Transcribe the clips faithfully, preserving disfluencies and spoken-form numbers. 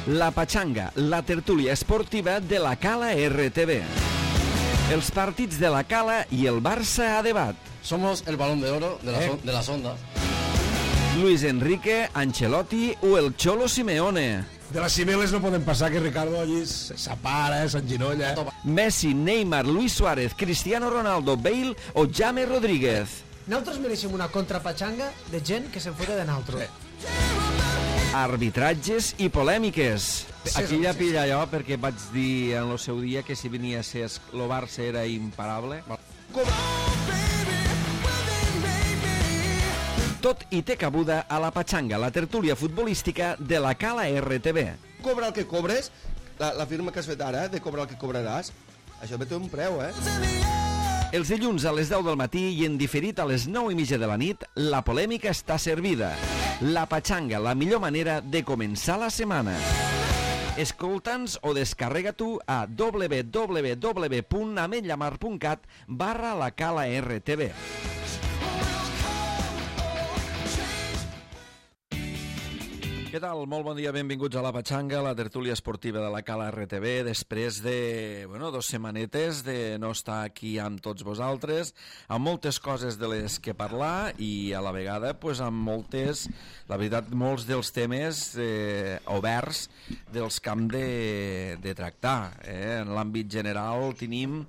La Pachanga, la tertúlia esportiva de la Cala R T V. Els partits de la Cala i el Barça a debat. Somos el balón de oro de, la ¿Eh? son, de las ondas. Luis Enrique, Ancelotti o el Cholo Simeone. De les cimeles no poden passar que Ricardo allí s'apara, s'enginolla. Messi, Neymar, Luis Suárez, Cristiano Ronaldo, Bale o James Rodríguez. Nosaltres mereixem una contrapatxanga de gent que se'n fota de nosaltres. Arbitratges i polèmiques. Aquí ja pilla allò perquè vaig dir en el seu dia que si venia a ser el Barça era imparable. Tot i té cabuda a la Pachanga, la tertúlia futbolística de la Cala R T V. Cobra el que cobres, la, la firma que has fet ara, de cobrar el que cobraràs, això té un preu, eh? Els dilluns a les deu del matí i en diferit a les nou i mitja de la nit, la polèmica està servida. La Pachanga, la millor manera de començar la setmana. Escolta'ns o descarrega tu a w w w punt ametlla mar punt cat barra la Cala R T V. Què tal? Molt bon dia, benvinguts a la Pachanga, la tertúlia esportiva de la Cala R T V, després de, bueno, dos setmanetes de no estar aquí amb tots vosaltres, amb moltes coses de les que parlar i a la vegada, pues, amb moltes, la veritat, molts dels temes eh, oberts dels que hem de, de tractar. Eh? En l'àmbit general tenim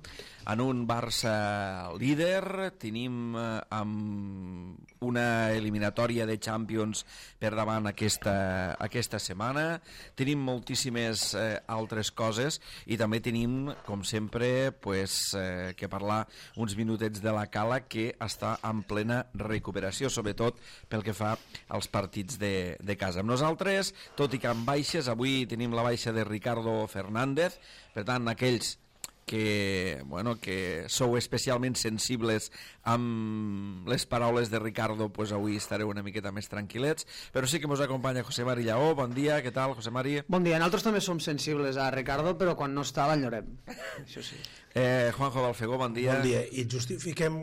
en un Barça líder, tenim eh, amb una eliminatòria de Champions per davant aquesta, aquesta setmana, tenim moltíssimes eh, altres coses i també tenim, com sempre, pues, eh, que parlar uns minutets de la Cala que està en plena recuperació, sobretot pel que fa als partits de, de casa. Amb nosaltres, tot i que amb baixes, avui tenim la baixa de Ricardo Fernández, per tant, aquells que, bueno, que sou especialment sensibles amb les paraules de Ricardo, pues avui estareu una miqueta més tranquil·lets, però sí que mos acompanya José Mari Lleó. Bon dia, què tal, José Mari? Bon dia, nosaltres també som sensibles a Ricardo, però quan no està l'enyorem. Això sí. Eh, Juanjo Balfegó, bon dia. Bon dia, i justifiquem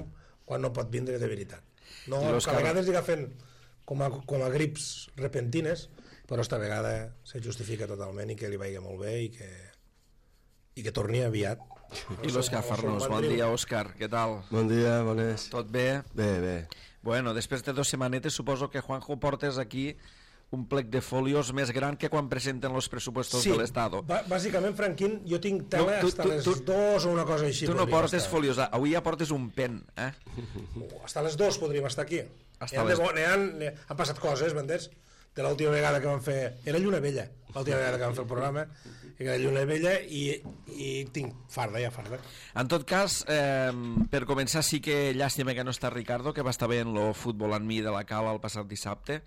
quan no pot vindre de veritat. No, que Òscar... a vegades li agafen com a, com a grips repentines, però esta vegada se justifica totalment i que li vagi molt bé i que, i que torni aviat. I l'Òscar Farnós, bon dia, Òscar, què tal? Bon dia, bones. Tot bé? Bé, bé. Bueno, després de dos setmanetes suposo que Juanjo portes aquí un plec de folios més gran que quan presenten els pressupostos sí, de l'Estado. Sí, bàsicament, Franquín, jo tinc tela no, tu, hasta tu, les tu, dos o una cosa així. Tu no portes folios, avui ja portes un pen, eh? Hasta les dos podríem estar aquí. Hasta les... les... de, han, han passat coses, m'entens? De l'última vegada que vam fer... Era Lluna Vella, l'última vegada que vam fer el programa, era Lluna Vella i, i tinc farda, ja farda. En tot cas, eh, per començar, sí que llàstima que no està Ricardo, que va estar bé en el futbol en mi de la Cala el passat dissabte,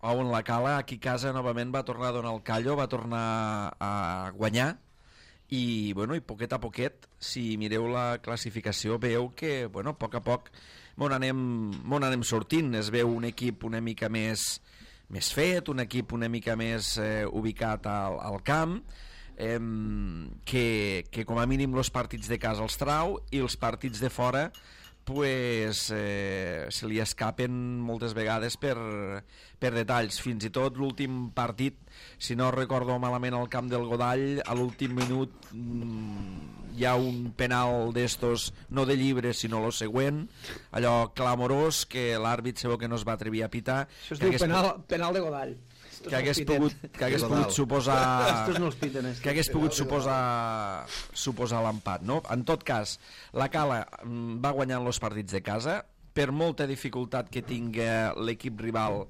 on la Cala aquí a casa novament va tornar a donar el callo, va tornar a guanyar, i, bueno, i poquet a poquet, si mireu la classificació, veu que, bueno, a poc a poc m'on anem, m'on anem sortint. Es veu un equip una mica més, més fet, un equip una mica més eh, ubicat al, al camp, eh, que, que com a mínim els partits de casa els trau i els partits de fora pues, eh, se li escapen moltes vegades per, per detalls. Fins i tot l'últim partit, si no recordo malament, al camp del Godall, a l'últim minut mmm, hi ha un penal d'estos, no de llibre sinó el següent, allò clamorós que l'àrbit sabeu que no es va atrevir a pitar. Això es diu penal, penal de Godall. Que hagués pogut, que hagués pogut suposar no piten, que hagués pogut suposar suposar l'empat, no? En tot cas, la Cala va guanyant els partits de casa, per molta dificultat que tinga l'equip rival,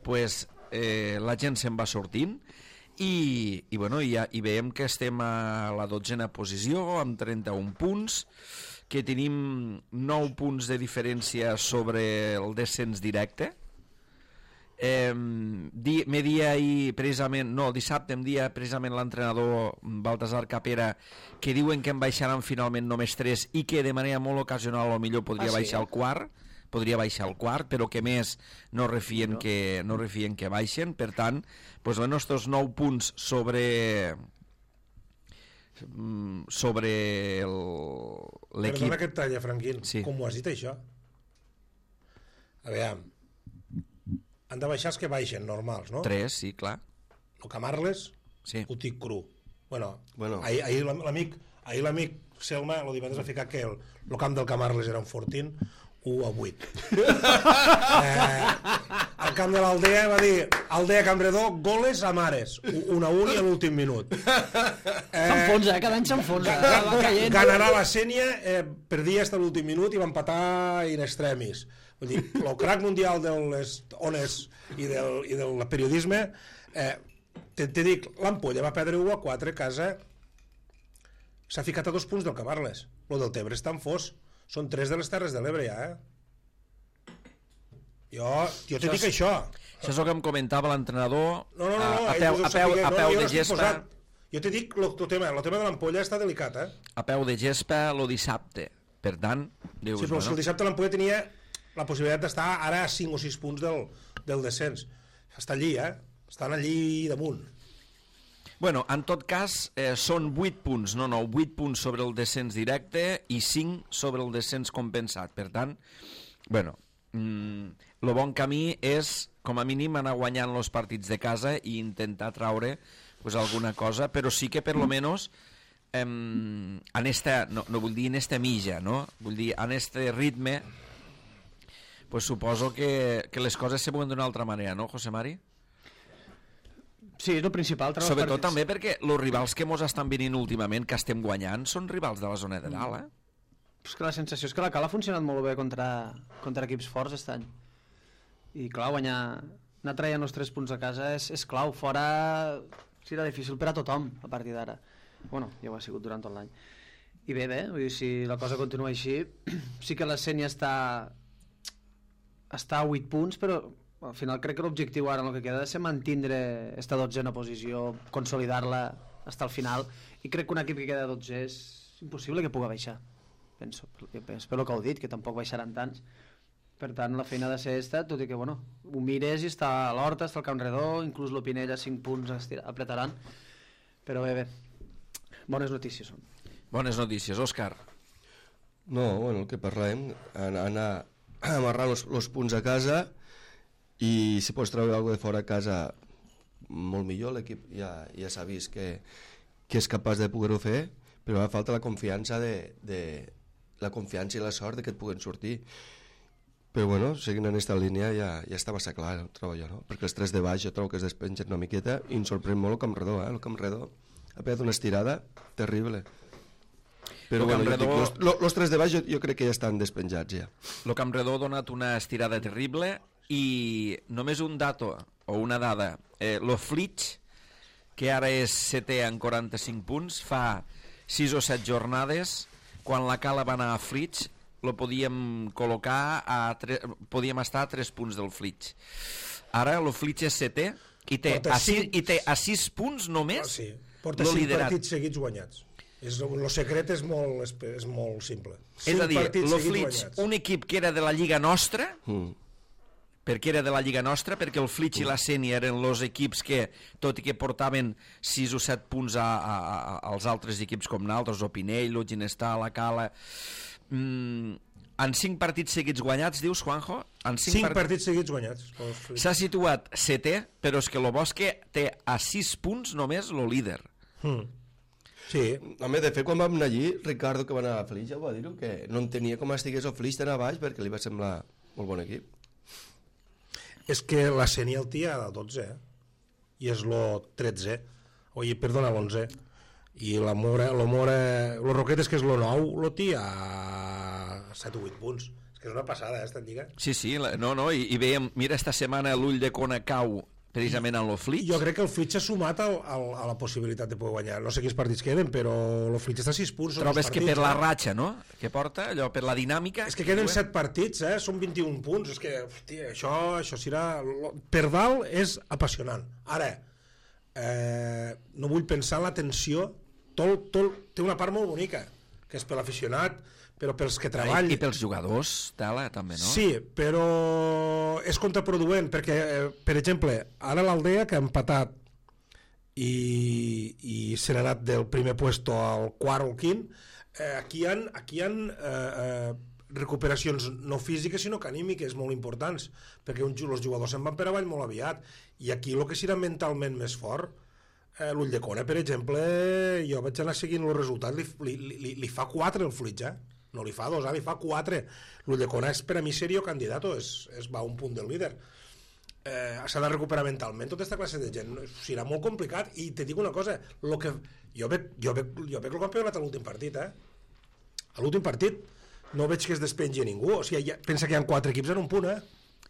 pues, eh, la gent se'n va sortint i, i, bueno, i, i veiem que estem a la dotzena posició amb trenta-un punts, que tenim nou punts de diferència sobre el descens directe. Eh, di, me dia ahir precisament, no, el dissabte em dia precisament l'entrenador Baltasar Capera que diuen que en baixaran finalment només tres i que de manera molt ocasional o millor podria ah, sí, baixar al quart, podria baixar al quart, però que més no refien, no. Que, no refien que baixen. Per tant, doncs, bueno, estos nou punts sobre sobre l'equip... Perdona que et talla, Franquín, sí. Com ho has dit això? A veure, han de baixar els que baixen, normals, no? Tres, sí, clar. El Camarles, Sí. ho tinc cru. Bueno, Bueno. ahir, ahir l'amic ahir l'amic Selma el divendres va ficar que el, el camp del Camarles era un Fortín u a vuit. eh, el camp de l'Aldea va dir Aldea Campredó, goles a mares, un a un i a l'últim minut. Eh, S'enfonsa, eh? Cada any s'enfonsa. Ga- Va caient. Ganarà la Sènia, eh, perdia fins a l'últim minut i va empatar in extremis. Vull dir, el crack mundial de les ones i del, i del periodisme, eh, te, te dic, l'Ampolla va perdre u a quatre a casa, s'ha ficat a dos punts del Camarles. Lo del Tebre està en fos. Són tres de les Terres de l'Ebre, ja, eh? Jo, jo te Això dic és- això. Això és el que em comentava l'entrenador No, no, no, no, a, a ells peu, ho a peu, sapiguem. a No, peu no, jo de l'estic gespa posant. Jo te dic, el tema, el tema de l'Ampolla està delicat, eh? a peu de gespa lo dissabte. Per tant, dius, Sí, però bueno, si el dissabte l'Ampolla tenia la possibilitat d'estar ara a cinc o sis punts del, del descens. Està allí, eh? Estan allí damunt. bueno, en tot cas, eh, són vuit punts, no, no, vuit punts sobre el descens directe i cinc sobre el descens compensat. Per tant, bueno, mm, el bon camí és, com a mínim, anar guanyant els partits de casa i intentar traure pues, alguna cosa, però sí que per lo menos em, en esta, no, no vull dir en esta milla, no? Vull dir, en este ritme pues suposo que, que les coses se veuen d'una altra manera, no, José Mari? Sí, és el principal. treure els Sobretot partits. també perquè els rivals que mos estan venint últimament, que estem guanyant, són rivals de la zona de dalt, eh? És que la sensació és que la Cal ha funcionat molt bé contra, contra equips forts aquest any. I clar, guanyar, anar traient els tres punts a casa és, és clau. Fora serà difícil per a tothom a partir d'ara. Bueno, ja ho ha sigut durant tot l'any. I bé, bé, vull dir, si la cosa continua així, sí que la Sènia està, està a vuit punts, però al final crec que l'objectiu ara en el que queda ha de ser mantindre esta dotzena posició, consolidar-la fins al final, i crec que un equip que queda dotze és impossible que pugui baixar. Penso, espero que ho dit, que tampoc baixaran tants. Per tant, la feina ha de ser esta, tot i que, bueno, ho mires i està a l'Horta, està al Camp Redó, inclús l'Opinell a cinc punts estira, apretaran. Però bé, bé, bones notícies són. Bones notícies, Òscar. No, bueno, el que parlem, anar, anar amarrant els punts a casa i si pots treure alguna de fora a casa molt millor, l'equip ja, ja s'ha vist que, que és capaç de poder-ho fer, però ara falta la confiança de, de la confiança i la sort de que et puguen sortir. Però bueno, seguint en aquesta línia ja, ja està massa clar el trobo jo, no? Perquè els tres de baix jo trobo que es despengen una miqueta i em sorprèn molt el Camp Redó, eh? El Camp Redó ha pegat una estirada terrible. Però El bueno, Camp Redó- els lo, los tres de baix jo, jo crec que ja estan despenjats ja. El Camp Redó ha donat una estirada terrible i només un dato o una dada. Eh, lo Flitx, que ara és setè en quaranta-cinc punts, fa sis o set jornades, quan la Cala va anar a Flitx, lo podíem col·locar a tre... podíem estar a tres punts del Flitx. Ara el Flitx és setè i té, Porta a sis, cinc- i té a sis punts només Ah, sí. Porta lo cinc liderat. partits seguits guanyats. És, el secret és molt, és, és molt simple. És Cinc a dir, partits lo seguits Flitx, guanyats. un equip que era de la Lliga Nostra, Mm. perquè era de la Lliga Nostra, perquè el Flitx i la Sènia eren els equips que, tot i que portaven sis o set punts a, a, a, als altres equips com naltres, o Pinell, o Ginestar, la Cala... Mm, en cinc partits seguits guanyats, dius, Juanjo? En cinc, Cinc part... partits seguits guanyats. pel Flitx. S'ha situat setè, però és que el Bosque té a sis punts només el líder. Mm. Sí, Home, de fet, quan vam anar allí, Ricardo, que va anar a Flix, ja ho va dir, que no entenia com estigués el Flix d'anar a baix perquè li va semblar molt bon equip. és que la Sènia el té a dotze, eh? I és lo tretze, oi, perdona, l'onze. I la Mora, lo Mora, lo Roquetes, que és lo nou, lo té a set o vuit punts. És que és una passada, eh, esta lliga. Sí, sí, la... no, no, i, i veiem, mira, esta setmana l'ull de Kona cau precisament en el Flitx. Jo crec que el Flitx s'ha sumat al, al, a la possibilitat de poder guanyar. No sé quins partits queden, però el Flitx està a sis punts. són Trobes els que partits, per la eh? ratxa, no?, que porta, allò, per la dinàmica... És que queden set partits, eh? Són vint-i-un punts. És que, hòstia, això, això serà... Per dalt és apassionant. Ara, eh, no vull pensar en la tensió. Tot, tot, té una part molt bonica, que és per l'aficionat, però pels que treballen. I, I pels jugadors, tela, també, no? Sí, però és contraproduent, perquè, eh, per exemple, ara l'Aldea, que ha empatat i, i se n'ha anat del primer puesto al quart o al quint, eh, aquí hi ha, aquí hi ha eh, eh, recuperacions no físiques sinó que anímiques molt importants, perquè un, els jugadors se'n van per avall molt aviat, i aquí el que serà mentalment més fort eh, l'Ulldecona, per exemple, jo vaig anar seguint els resultats, li, li, li, li fa quatre el Flitge, eh? No li fa dos, eh? Li fa quatre. L'Ulldecona és per a mi serio candidat, és, és va a un punt del líder. Eh, s'ha de recuperar mentalment tota aquesta classe de gent, serà molt complicat, i te dic una cosa, lo que, jo veig, jo veig, jo veig el campionat a l'últim partit, eh? A l'últim partit no veig que es despengi a ningú, o sigui, ja, pensa que hi ha quatre equips en un punt, eh?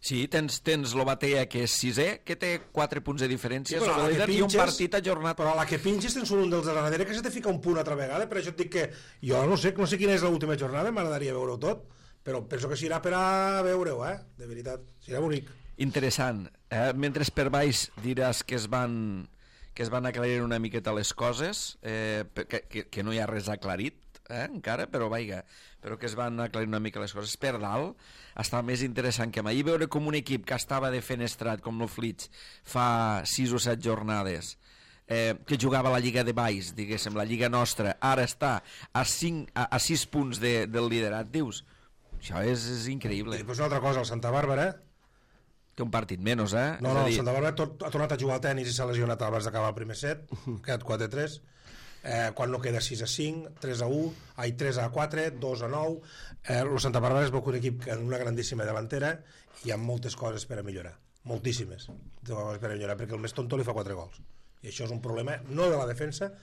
Sí, tens, tens l'Obatea, que és sisè, que té quatre punts de diferència, Sí, però sobre a la el que líder, i un pinches- partit ajornat. Però a la que pinges tens un dels de darrere que se te fica un punt altra vegada, per això et dic que jo no sé, no sé quina és l'última jornada, m'agradaria veure-ho tot, però penso que serà per a veure-ho, eh? De veritat, serà bonic. Interessant. Eh? Mentre per baix diràs que es van que es van aclarir una miqueta les coses, eh, que, que, que no hi ha res aclarit, eh, encara, però vaiga, però que es van aclarir una mica les coses. Per dalt està més interessant que mai veure com un equip que estava defenestrat, com el Flitge, fa sis o set jornades, eh, que jugava a la Lliga de baix, diguéssim, la Lliga nostra, ara està a, cinc, a, a sis punts de, del liderat, dius, això és, és increïble. I després una altra cosa, el Santa Bàrbara, Té un partit menys, eh? no, És no, a el dir, Santa Bàrbara tot, ha tornat a jugar al tenis i s'ha lesionat abans d'acabar el primer set, ha quedat quatre a tres, eh, quan no queda sis a cinc, tres a u, ai, tres a quatre, dos a nou, eh, el Santa Bàrbara es veu que un equip amb una grandíssima davantera i hi ha moltes coses per a millorar, moltíssimes coses per a millorar, perquè el més tonto li fa quatre gols, i això és un problema no de la defensa,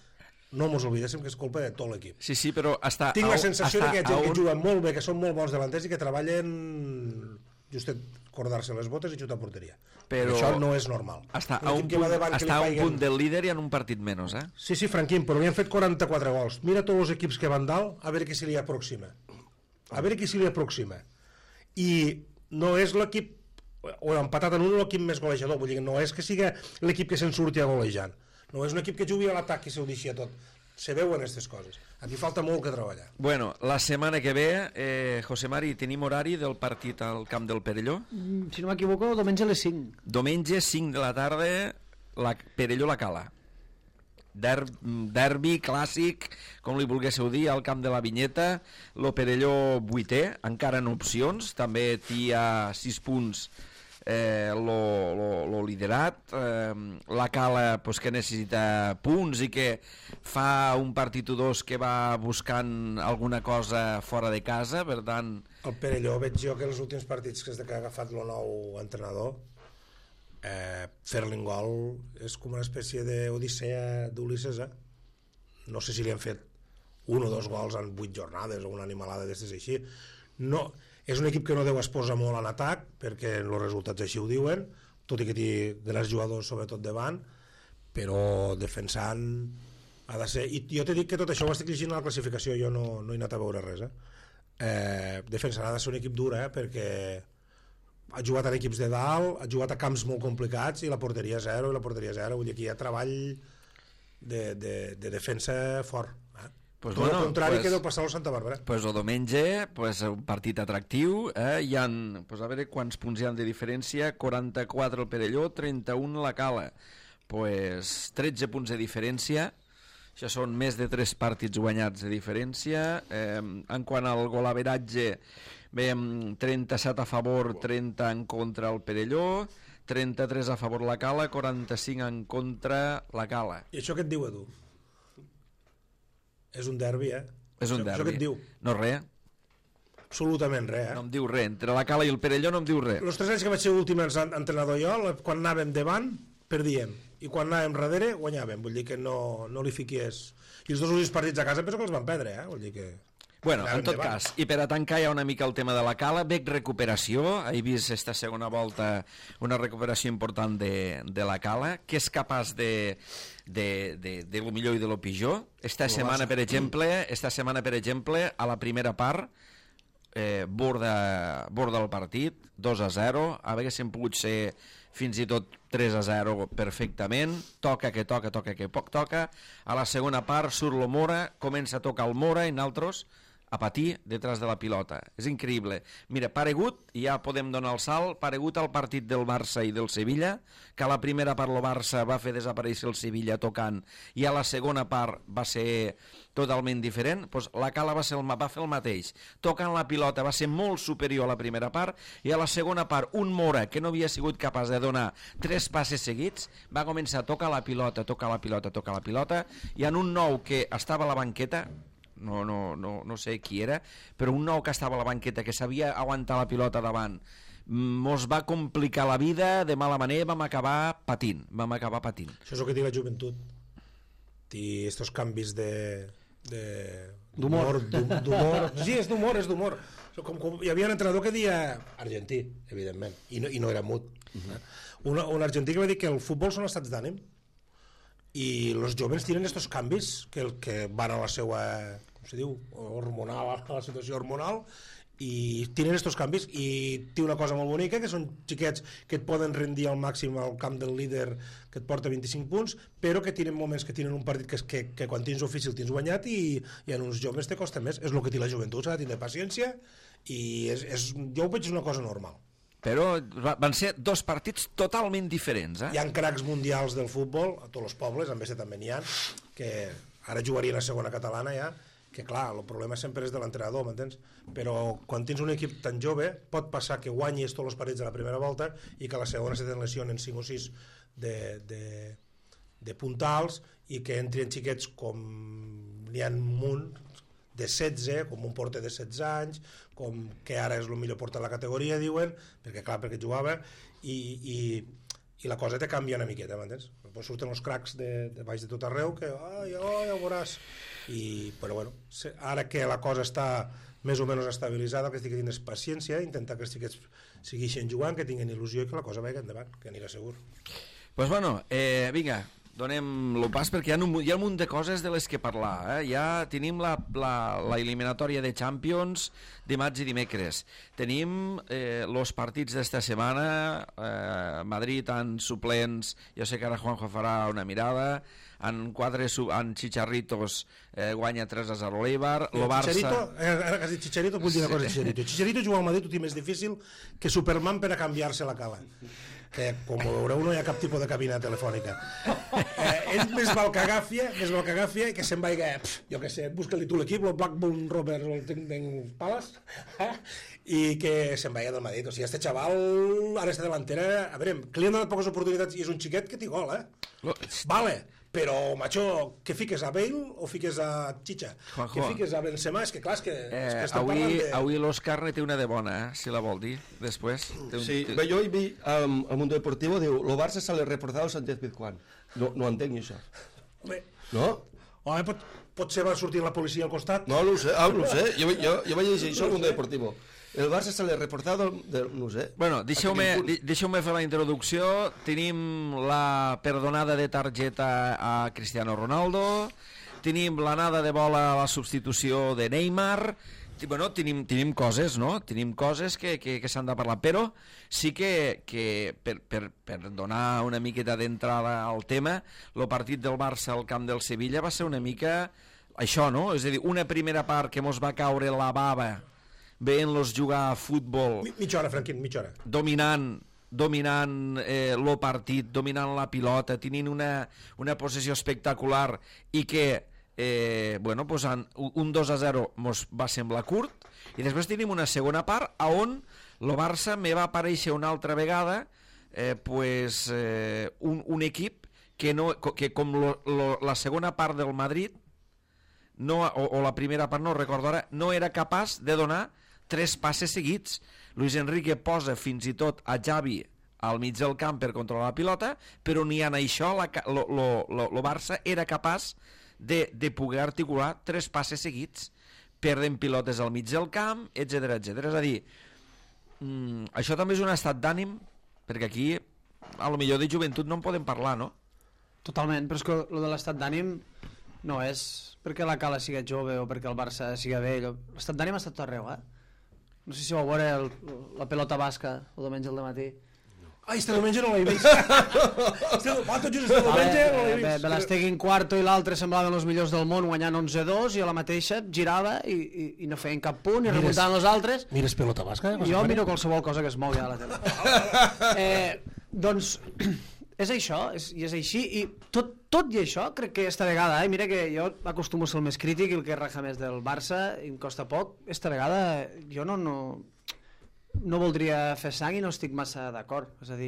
no mos oblidéssim que és culpa de tot l'equip. Sí, sí, però està... Tinc a la un- sensació de està que hi ha gent a que un- juguen molt bé, que són molt bons davanters i que treballen justet cordar-se les botes i xutar a porteria. Però- Això no és normal. Està Un a equip un que va punt, davant que li està a un caiguen- punt del líder i en un partit menys, eh? Sí, sí, Franquín, però li han fet quaranta-quatre gols. Mira tots els equips que van dalt, a veure qui se li aproxima. A veure qui se li aproxima. I no és l'equip, o empatat en un, l'equip més golejador, vull dir, no és que sigui l'equip que se'n surti a golejant. No és un equip que jugui a l'atac i s'ho deixi a tot. Se veuen aquestes coses. Aquí falta molt que treballar. Bueno, la setmana que ve, eh, José Mari, tenim horari del partit al camp del Perelló? Mm, Si no m'equivoco, diumenge a les cinc. Diumenge, cinc de la tarda, la Perelló-La Cala. Der, derbi clàssic, com li volguéssiu dir, al camp de la Vinyeta. Lo Perelló vuitè, encara en opcions, també té a sis punts eh, lo, lo, lo liderat, eh, la Cala pues, que necessita punts i que fa un partit o dos que va buscant alguna cosa fora de casa, per tant... El Perelló veig jo que els últims partits que des que ha agafat el nou entrenador, eh, fer-li un gol és com una espècie d'odissea d'Ulisses, eh? No sé si li han fet un o dos gols en vuit jornades o una animalada d'estes així. No, és un equip que no deu exposar molt en atac, perquè els resultats així ho diuen, tot i que té grans jugadors sobretot davant, però defensant ha de ser... I jo t'he dit que tot això ho estic llegint a la classificació, jo no, no he anat a veure res, eh? Eh, defensant ha de ser un equip dur, eh? Perquè ha jugat en equips de dalt, ha jugat a camps molt complicats i la porteria zero i la porteria zero, vull dir que hi ha treball de, de, de defensa fort, eh? Pues Tot bueno, el contrari pues- que deu passar al Santa Bàrbara. Pues el diumenge, pues, un partit atractiu, eh? Hi ha, pues, a veure quants punts hi ha de diferència, quaranta-quatre el Perelló, trenta-un la Cala, pues, tretze punts de diferència, això són més de tres partits guanyats de diferència. Eh, en quant al golaveratge, veiem trenta-set a favor, trenta en contra el Perelló, trenta-tres a favor la Cala, quaranta-cinc en contra la Cala. I això què et diu, Edu? És un derbi, eh? És un això, derbi. Això què et diu? No res, Absolutament res, eh? no em diu res. Entre la Cala i el Perelló no em diu res. Els tres anys que vaig ser últim en- entrenador jo, la- quan anàvem davant, perdíem. I quan anàvem darrere, guanyàvem. Vull dir que no, no li fiquies... I els dos últims partits a casa penso que els van perdre, eh? Vull dir que... Bueno, Anàvem en tot davant. cas, i per a tancar ja una mica el tema de la Cala, veig recuperació, he vist esta segona volta una recuperació important de, de la Cala, que és capaç de, de, de, de lo millor i de lo pitjor. Esta setmana, per exemple, esta setmana, per exemple, a la primera part, eh, borda, borda el partit, dos a zero, haguéssim pogut ser fins i tot tres a zero perfectament, toca que toca, toca que poc toca, a la segona part surt el Mora, comença a tocar el Mora i nosaltres a patir detrás de la pilota. És increïble. Mira, paregut, ja podem donar el salt, paregut al partit del Barça i del Sevilla, que a la primera part el Barça va fer desaparèixer el Sevilla tocant i a la segona part va ser totalment diferent, doncs la Cala va, ser el, va fer el mateix. Tocant la pilota va ser molt superior a la primera part i a la segona part un Mora que no havia sigut capaç de donar tres passes seguits va començar a tocar la pilota, tocar la pilota, tocar la pilota i en un nou que estava a la banqueta, no, no, no, no sé qui era, però un nou que estava a la banqueta que sabia aguantar la pilota davant mos va complicar la vida de mala manera, vam acabar patint vam acabar patint. Això és el que té la joventut, i estos canvis de d'humor, d'humor, sí, és d'humor, és d'humor. Com, com, hi havia un entrenador que deia argentí, evidentment, i no, i no era mut, uh-huh. un, un argentí que va dir que el futbol són estats d'ànim i els joves tenen estos canvis que, el, que van a la seva, com se diu, hormonal, a la situació hormonal, i tenen estos canvis, i té una cosa molt bonica, que són xiquets que et poden rendir al màxim al camp del líder que et porta vint-i-cinc punts, però que tenen moments que tenen un partit que, que, que quan tens ofici el tens guanyat i, i en uns joves te costa més. És el que té la joventut, s'ha de tenir paciència i és, és, jo ho veig una cosa normal. Però van ser dos partits totalment diferents, eh? Hi ha cracs mundials del futbol a tots els pobles, en Bessa també n'hi ha, que ara jugarien a segona catalana ja, que clar, el problema sempre és de l'entrenador, m'entens? Però quan tens un equip tan jove pot passar que guanyis tots els partits de la primera volta i que a la segona se te'n lesionen cinc o sis de, de, de puntals i que entren xiquets com n'hi ha un munt de setze, com un porter de setze anys, com que ara és el millor porter de la categoria, diuen, perquè clar, perquè jugava, i, i, i la cosa te canvia una miqueta, m'entens? Pues surten els cracs de, de baix de tot arreu que, ai, oh, ja ho veuràs. I, però bueno, ara que la cosa està més o menys estabilitzada, el que estic dient és paciència, intentar que els xiquets segueixin jugant, que tinguin il·lusió i que la cosa vagi endavant, que anirà segur. Pues bueno, eh, vinga, donem el pas perquè hi ha un, hi ha un munt de coses de les que parlar, eh? Ja tenim la, la, la eliminatòria de Champions dimarts i dimecres, tenim eh, los partits d'esta setmana, eh, Madrid en suplents, jo sé que ara Juanjo farà una mirada, en quatre en Chicharritos eh, guanya tres a zero l'Eibar, lo Barça... Chicharito, eh, ara que has dit Chicharito, vull dir una cosa de Chicharito. Chicharito jugar al Madrid ho té més difícil que Superman per a canviar-se la cala. Que, com ho veureu, no hi ha cap tipus de cabina telefònica. Eh, ell més val que agàfia, més val que agàfia i que se'n vaiga, pff, jo què sé, busca-li tu l'equip, el Blackburn Rovers o el Tottenham Palace, eh? I que se'n vaiga del Madrid. O sigui, este xaval, ara esta delantera, a veure, que li han donat poques oportunitats i és un xiquet que té gol, eh? Vale, però, macho, que fiques a Bale o fiques a Chicha? Juanjo. Que fiques a Benzema? És que clar, és que, Eh, és que estem avui parlant de... avui l'Òscar ne té una de bona, eh? Si la vol dir, després. Té un... Sí, bé, jo hi vi um, al Mundo Deportivo, diu, lo Barça se le reforzado el Sánchez Pizjuán. No, no entenc això. Home, No? home pot, pot ser va sortir la policia al costat? No, no ho sé, ah, no ho sé. Jo, jo, jo vaig llegir això al Mundo Deportivo. El Barça se le reforzado, de, no ho sé. Bueno, deixeu-me deixeu fer la introducció. Tenim la perdonada de targeta a Cristiano Ronaldo, tenim l'anada de bola a la substitució de Neymar, bueno, tenim, tenim coses, no? Tenim coses que, que, que s'han de parlar, però sí que, que per, per, per donar una miqueta d'entrada al tema, el partit del Barça al camp del Sevilla va ser una mica això, no? És a dir, una primera part que mos va caure la bava veient-los jugar a futbol... Mi, mitja hora, Franquín, mitja hora. Dominant dominant eh, el partit, dominant la pilota, tenint una, una possessió espectacular i que eh, bueno, pues en, un dos a zero mos va semblar curt i després tenim una segona part a on el Barça me va aparèixer una altra vegada eh, pues, eh, un, un equip que, no, que com lo, lo, la segona part del Madrid no, o, o la primera part no recordo ara, no era capaç de donar tres passes seguits. Luis Enrique posa fins i tot a Xavi al mig del camp per controlar la pilota, però ni en això la, lo, lo, lo, lo Barça era capaç de, de poder articular tres passes seguits, perden pilotes al mig del camp, etcètera, etcètera. És a dir, mm, això també és un estat d'ànim, perquè aquí a lo millor de joventut no en podem parlar, no? Totalment, però és que lo de l'estat d'ànim no és perquè la Cala sigui jove o perquè el Barça sigui vell. L'estat d'ànim ha estat tot arreu, eh? No sé si vau veure el, la pelota basca el diumenge al matí. Ai, este diumenge no l'he vist. Este, va, tot just este diumenge no l'he vist. Belastegui en quarto i l'altre semblaven els millors del món guanyant onze dos i a la mateixa girava i, i, i no feien cap punt i remuntaven els altres. Mires pelota basca? Eh? Jo miro qualsevol cosa que es mogui a la tele. eh, doncs és això, és, i és així, i tot, tot i això crec que esta vegada, eh, mira que jo acostumo a ser el més crític i el que raja més del Barça, i em costa poc, esta vegada jo no... no no voldria fer sang i no estic massa d'acord, és a dir,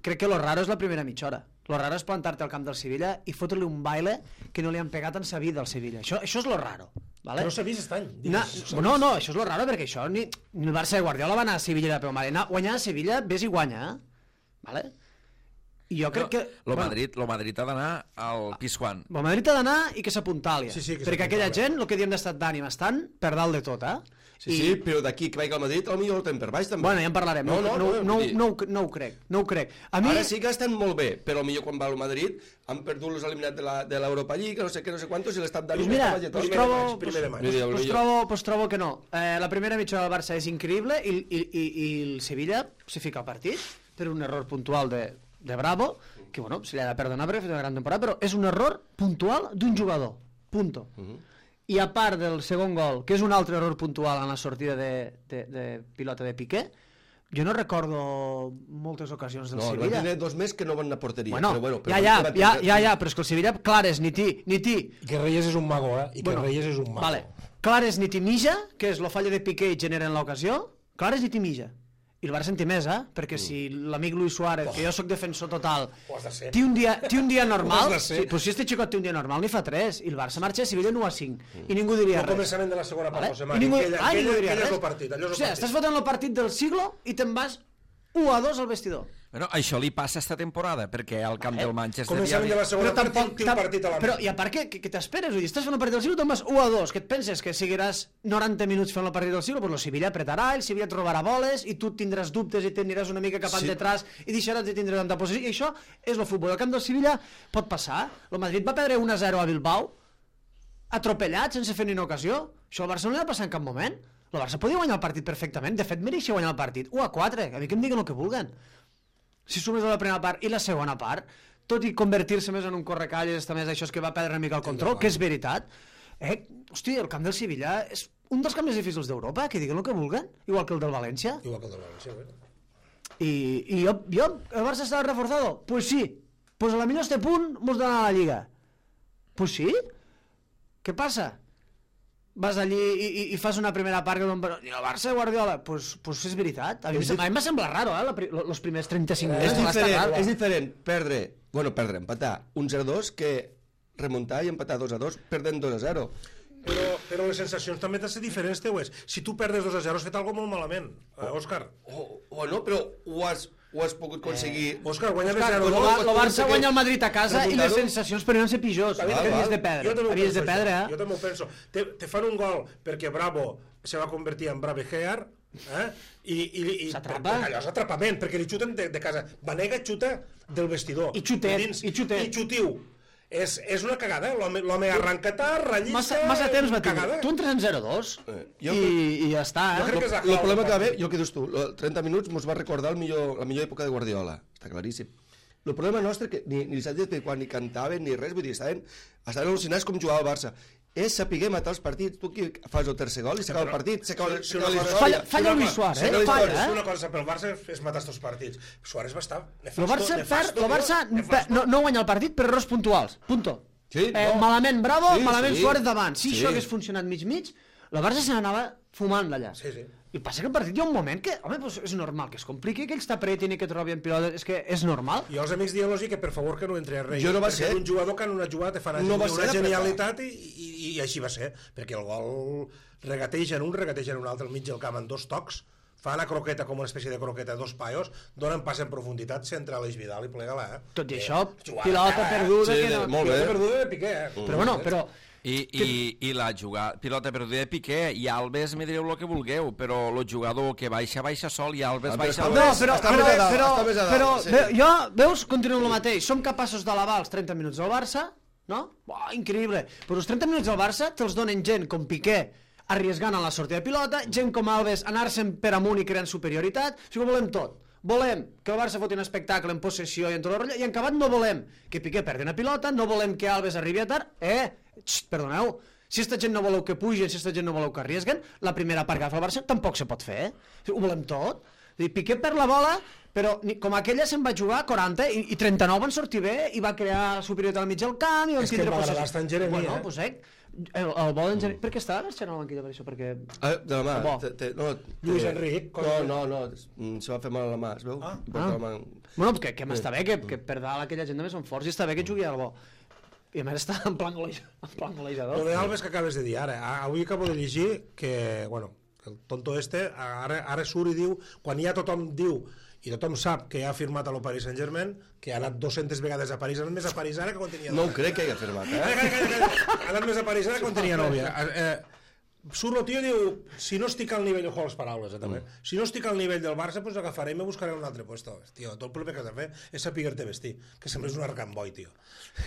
crec que lo raro és la primera mitja hora, lo raro és plantar-te al camp del Sevilla i fotre-li un baile que no li han pegat en sa vida al Sevilla, això, això és lo raro, vale? No s'ha vist aquest any. Na, no, no, això és lo raro perquè això ni, ni el Barça de Guardiola va anar a Sevilla de peu mal, anar, guanyar a Sevilla, ves i guanya, eh? Vale? I jo crec no, que... Lo bueno, Madrid, lo Madrid ha d'anar al Pizjuán. El Madrid ha d'anar i que s'apuntalia, sí, sí, perquè aquella gent, el que diem d'estat d'ànim, estan per dalt de tot, eh? Sí, I... sí, però d'aquí que vagi al Madrid, potser el tenen per baix, també. Bueno, ja en parlarem. No, no, no, no, no, no, no, no ho crec, no ho crec. A mi... Ara sí que estan molt bé, però millor quan va al Madrid han perdut los eliminats de l'Europa League, no sé què, no sé quantos, i l'estat d'ànim... Pues mira, pues trobo, pues, pues, pues, trobo, pues trobo que no. Eh, la primera mitja del Barça és increïble i, i, i, i el Sevilla se fica al partit per un error puntual de, de Bravo, que bueno, se li ha de perdonar perquè ha fet una gran temporada, però és un error puntual d'un jugador. Punto. Uh -huh. I a part del segon gol, que és un altre error puntual en la sortida de, de, de pilota de Piqué, jo no recordo moltes ocasions del no, Sevilla. No, van tenir dos més que no van a porteria. Bueno, però bueno, però ja, ja, ja, ja, ja, però és que el Sevilla, clares, ni ti, ni ti. I que Reyes és un mago, eh? I que bueno, Reyes és un mago. Vale. Clares ni ti mija, que és la falla de Piqué i generen l'ocasió, clares ni ti mija. I el Barça en té més, eh? Perquè mm. si l'amic Luis Suárez, oh. que jo sóc defensor total, té un dia, té un dia normal, sí, però si este xicot té un dia normal, n'hi fa tres, i el Barça marxa a Sevilla nou a cinc, mm. i ningú diria res. El començament de la segona part, José Mari, ningú... aquella, ah, aquella, aquella és el partit. Allò és el o sigui, partit. Estàs fotent el partit del siglo i te'n vas u a dos al vestidor. Bueno, això li passa esta temporada, perquè al camp eh? del Manchester... Començament de la segona part, té un partit a la mà. Però, i a part, què, què t'esperes? Vull dir, estàs fent el partit del siglo, te'n vas u a dos, que et penses que seguiràs noranta minuts fent el partit del siglo? Doncs el Sevilla apretarà, el Sevilla et robarà boles, i tu tindràs dubtes i t'aniràs una mica cap sí. endetràs i deixaràs de tindre tanta posició. I això és el futbol. El camp del Sevilla pot passar. El Madrid va perdre un a zero a Bilbao, atropellat, sense fer ni una ocasió. Això al Barça no li va passar en cap moment. El Barça podia guanyar el partit perfectament. De fet, mereixia guanyar el partit. u a quatre. A mi que em diguen el que vulguen. Si sumes a la primera part i la segona part, tot i convertir-se més en un correcalles, també això és que va perdre una mica el control, que és veritat, eh, hosti, el camp del Sevilla és un dels camps més difícils d'Europa, que diguen el que vulguen, igual que el del València. Igual que el del València, bé. I, i jo, jo, el Barça estava reforzado? Pues sí. Pues a la millor este punt mos dona a la Lliga. Pues sí. Què passa? Vas allí i, i, i fas una primera part que i el Barça de Guardiola, pues, pues és veritat. A mi, a mi em va semblar raro, eh, els primers trenta-cinc minuts. És diferent, és diferent perdre, bueno, perdre, empatar un zero dos que remuntar i empatar dos a dos perdent dos a zero. Però, però les sensacions també han de ser diferents, teues. Si tu perdes dos a zero has fet alguna molt malament, eh, Òscar. O, o no, però ho has, ho has pogut aconseguir... Eh, Òscar, guanya més zero dos. El Barça guanya el Madrid a casa i les sensacions per no ser pitjors. Havies de perdre. Havies de perdre, eh? Jo també ho penso. Te, te fan un gol perquè Bravo se va convertir en Bravehear, eh? I, i, i s'atrapa. Allò és atrapament, perquè li xuten de, de casa. Vanega xuta del vestidor. I xutet, i xutet. I xutiu. És, és una cagada, l'home arranca tard, ratllista... Massa, massa temps va tenir. Tu entres en zero dos eh, i, i ja està. Eh? Jo crec que és el problema que va haver, jo que dius tu, trenta minuts mos va recordar el millor, la millor època de Guardiola, està claríssim. El problema nostre que ni, ni s'ha dit quan ni cantaven ni res, vull dir, estaven, estaven al·lucinats com jugava el Barça. És saber matar els partits. Tu qui fas el tercer gol i s'acaba el partit, s'acaba si la història. Falla, falla el Luis Suárez, eh? Falla, eh? Si una cosa pel Barça és matar els partits. Suárez va estar nefasto. El Barça, per, el Barça no, no guanya el partit per errors puntuals. Punto. Sí, eh, no. Malament Bravo, sí, malament sí. Suárez davant. Si sí. això hagués funcionat mig-mig, el Barça se n'anava fumant d'allà. Sí, sí. I passa que el partit hi ha un moment que, home, pues és normal que es compliqui, que ells t'apretin i que trobin pilotes, és que és normal. I els amics dient-los que per favor que no entri a res. Jo no va ser. ser. Un jugador que en una jugada te fan no una genialitat i, i, i així va ser. Perquè el gol regateja en un, regateja en un altre al mig del camp en dos tocs, fa la croqueta com una espècie de croqueta, dos paios, donen pas en profunditat, centra l'Eix Vidal i plega-la. Eh? Tot i això, pilota perduda... Sí, que no... molt bé. Pilota perduda de Piqué, eh? Però bueno, però... I, i, i la jugada, pilota perduda de Piqué i Alves me direu el que vulgueu, però el jugador que baixa, baixa sol i Alves ah, baixa... No, però, està però, més a dalt, però, està més a dalt, però sí. ve, jo, veus, continuem el mateix, som capaços d'alabar els trenta minuts del Barça, no? Buah, increïble, però els trenta minuts del Barça te'ls donen gent com Piqué arriesgant a la sortida de pilota, gent com Alves anar-se'n per amunt i creant superioritat, o sigui, ho volem tot. volem que el Barça foti un espectacle en possessió i en tot el rotllo, i en acabat no volem que Piqué perdi una pilota, no volem que Alves arribi a tard, eh, xt, perdoneu, si esta gent no voleu que pugin, si esta gent no voleu que arriesguen, la primera part que agafa el Barça tampoc se pot fer, eh? Ho volem tot. Piqué perd la bola, però com aquella se'n va jugar quaranta i, i trenta-nou van sortir bé i va crear superioritat al mig del camp i van és que tindre va possessió. agradar estar en Jeremia, bueno, eh? Pues, eh? El, el bo d'en Jeremia... Per què estava marxant a la banquilla per això? Perquè... Ah, de la mà. Bo. Te, te, no, te, Lluís Enric, No, no, no, mm, se va fer mal a la mà, es veu? Ah. Porta la mà... Bueno, que, que m'està bé, que, que per dalt aquella gent també són forts i està bé que jugui al bo. I a més està en plan, goleja, en plan golejador. Lo de Alves que acabes de dir ara, a- avui acabo de llegir que, bueno, que el tonto este ara, ara surt i diu, quan ja tothom diu i tothom sap que ha firmat a lo Paris Saint-Germain, que ha anat dues-centes vegades a París, ha anat més a París ara que quan tenia No ho nòvia. crec que hagi afirmat, Calla, eh? calla, calla, calla. Ha anat més a París ara que quan tenia nòvia. Eh, surt el tio i diu, si no estic al nivell, ojo a les paraules, eh, també. Si no estic al nivell del Barça, pues agafaré i me buscaré un altre puesto. Tio, tot el primer que has de fer és saber-te vestir, que sempre és un arcamboi, tio.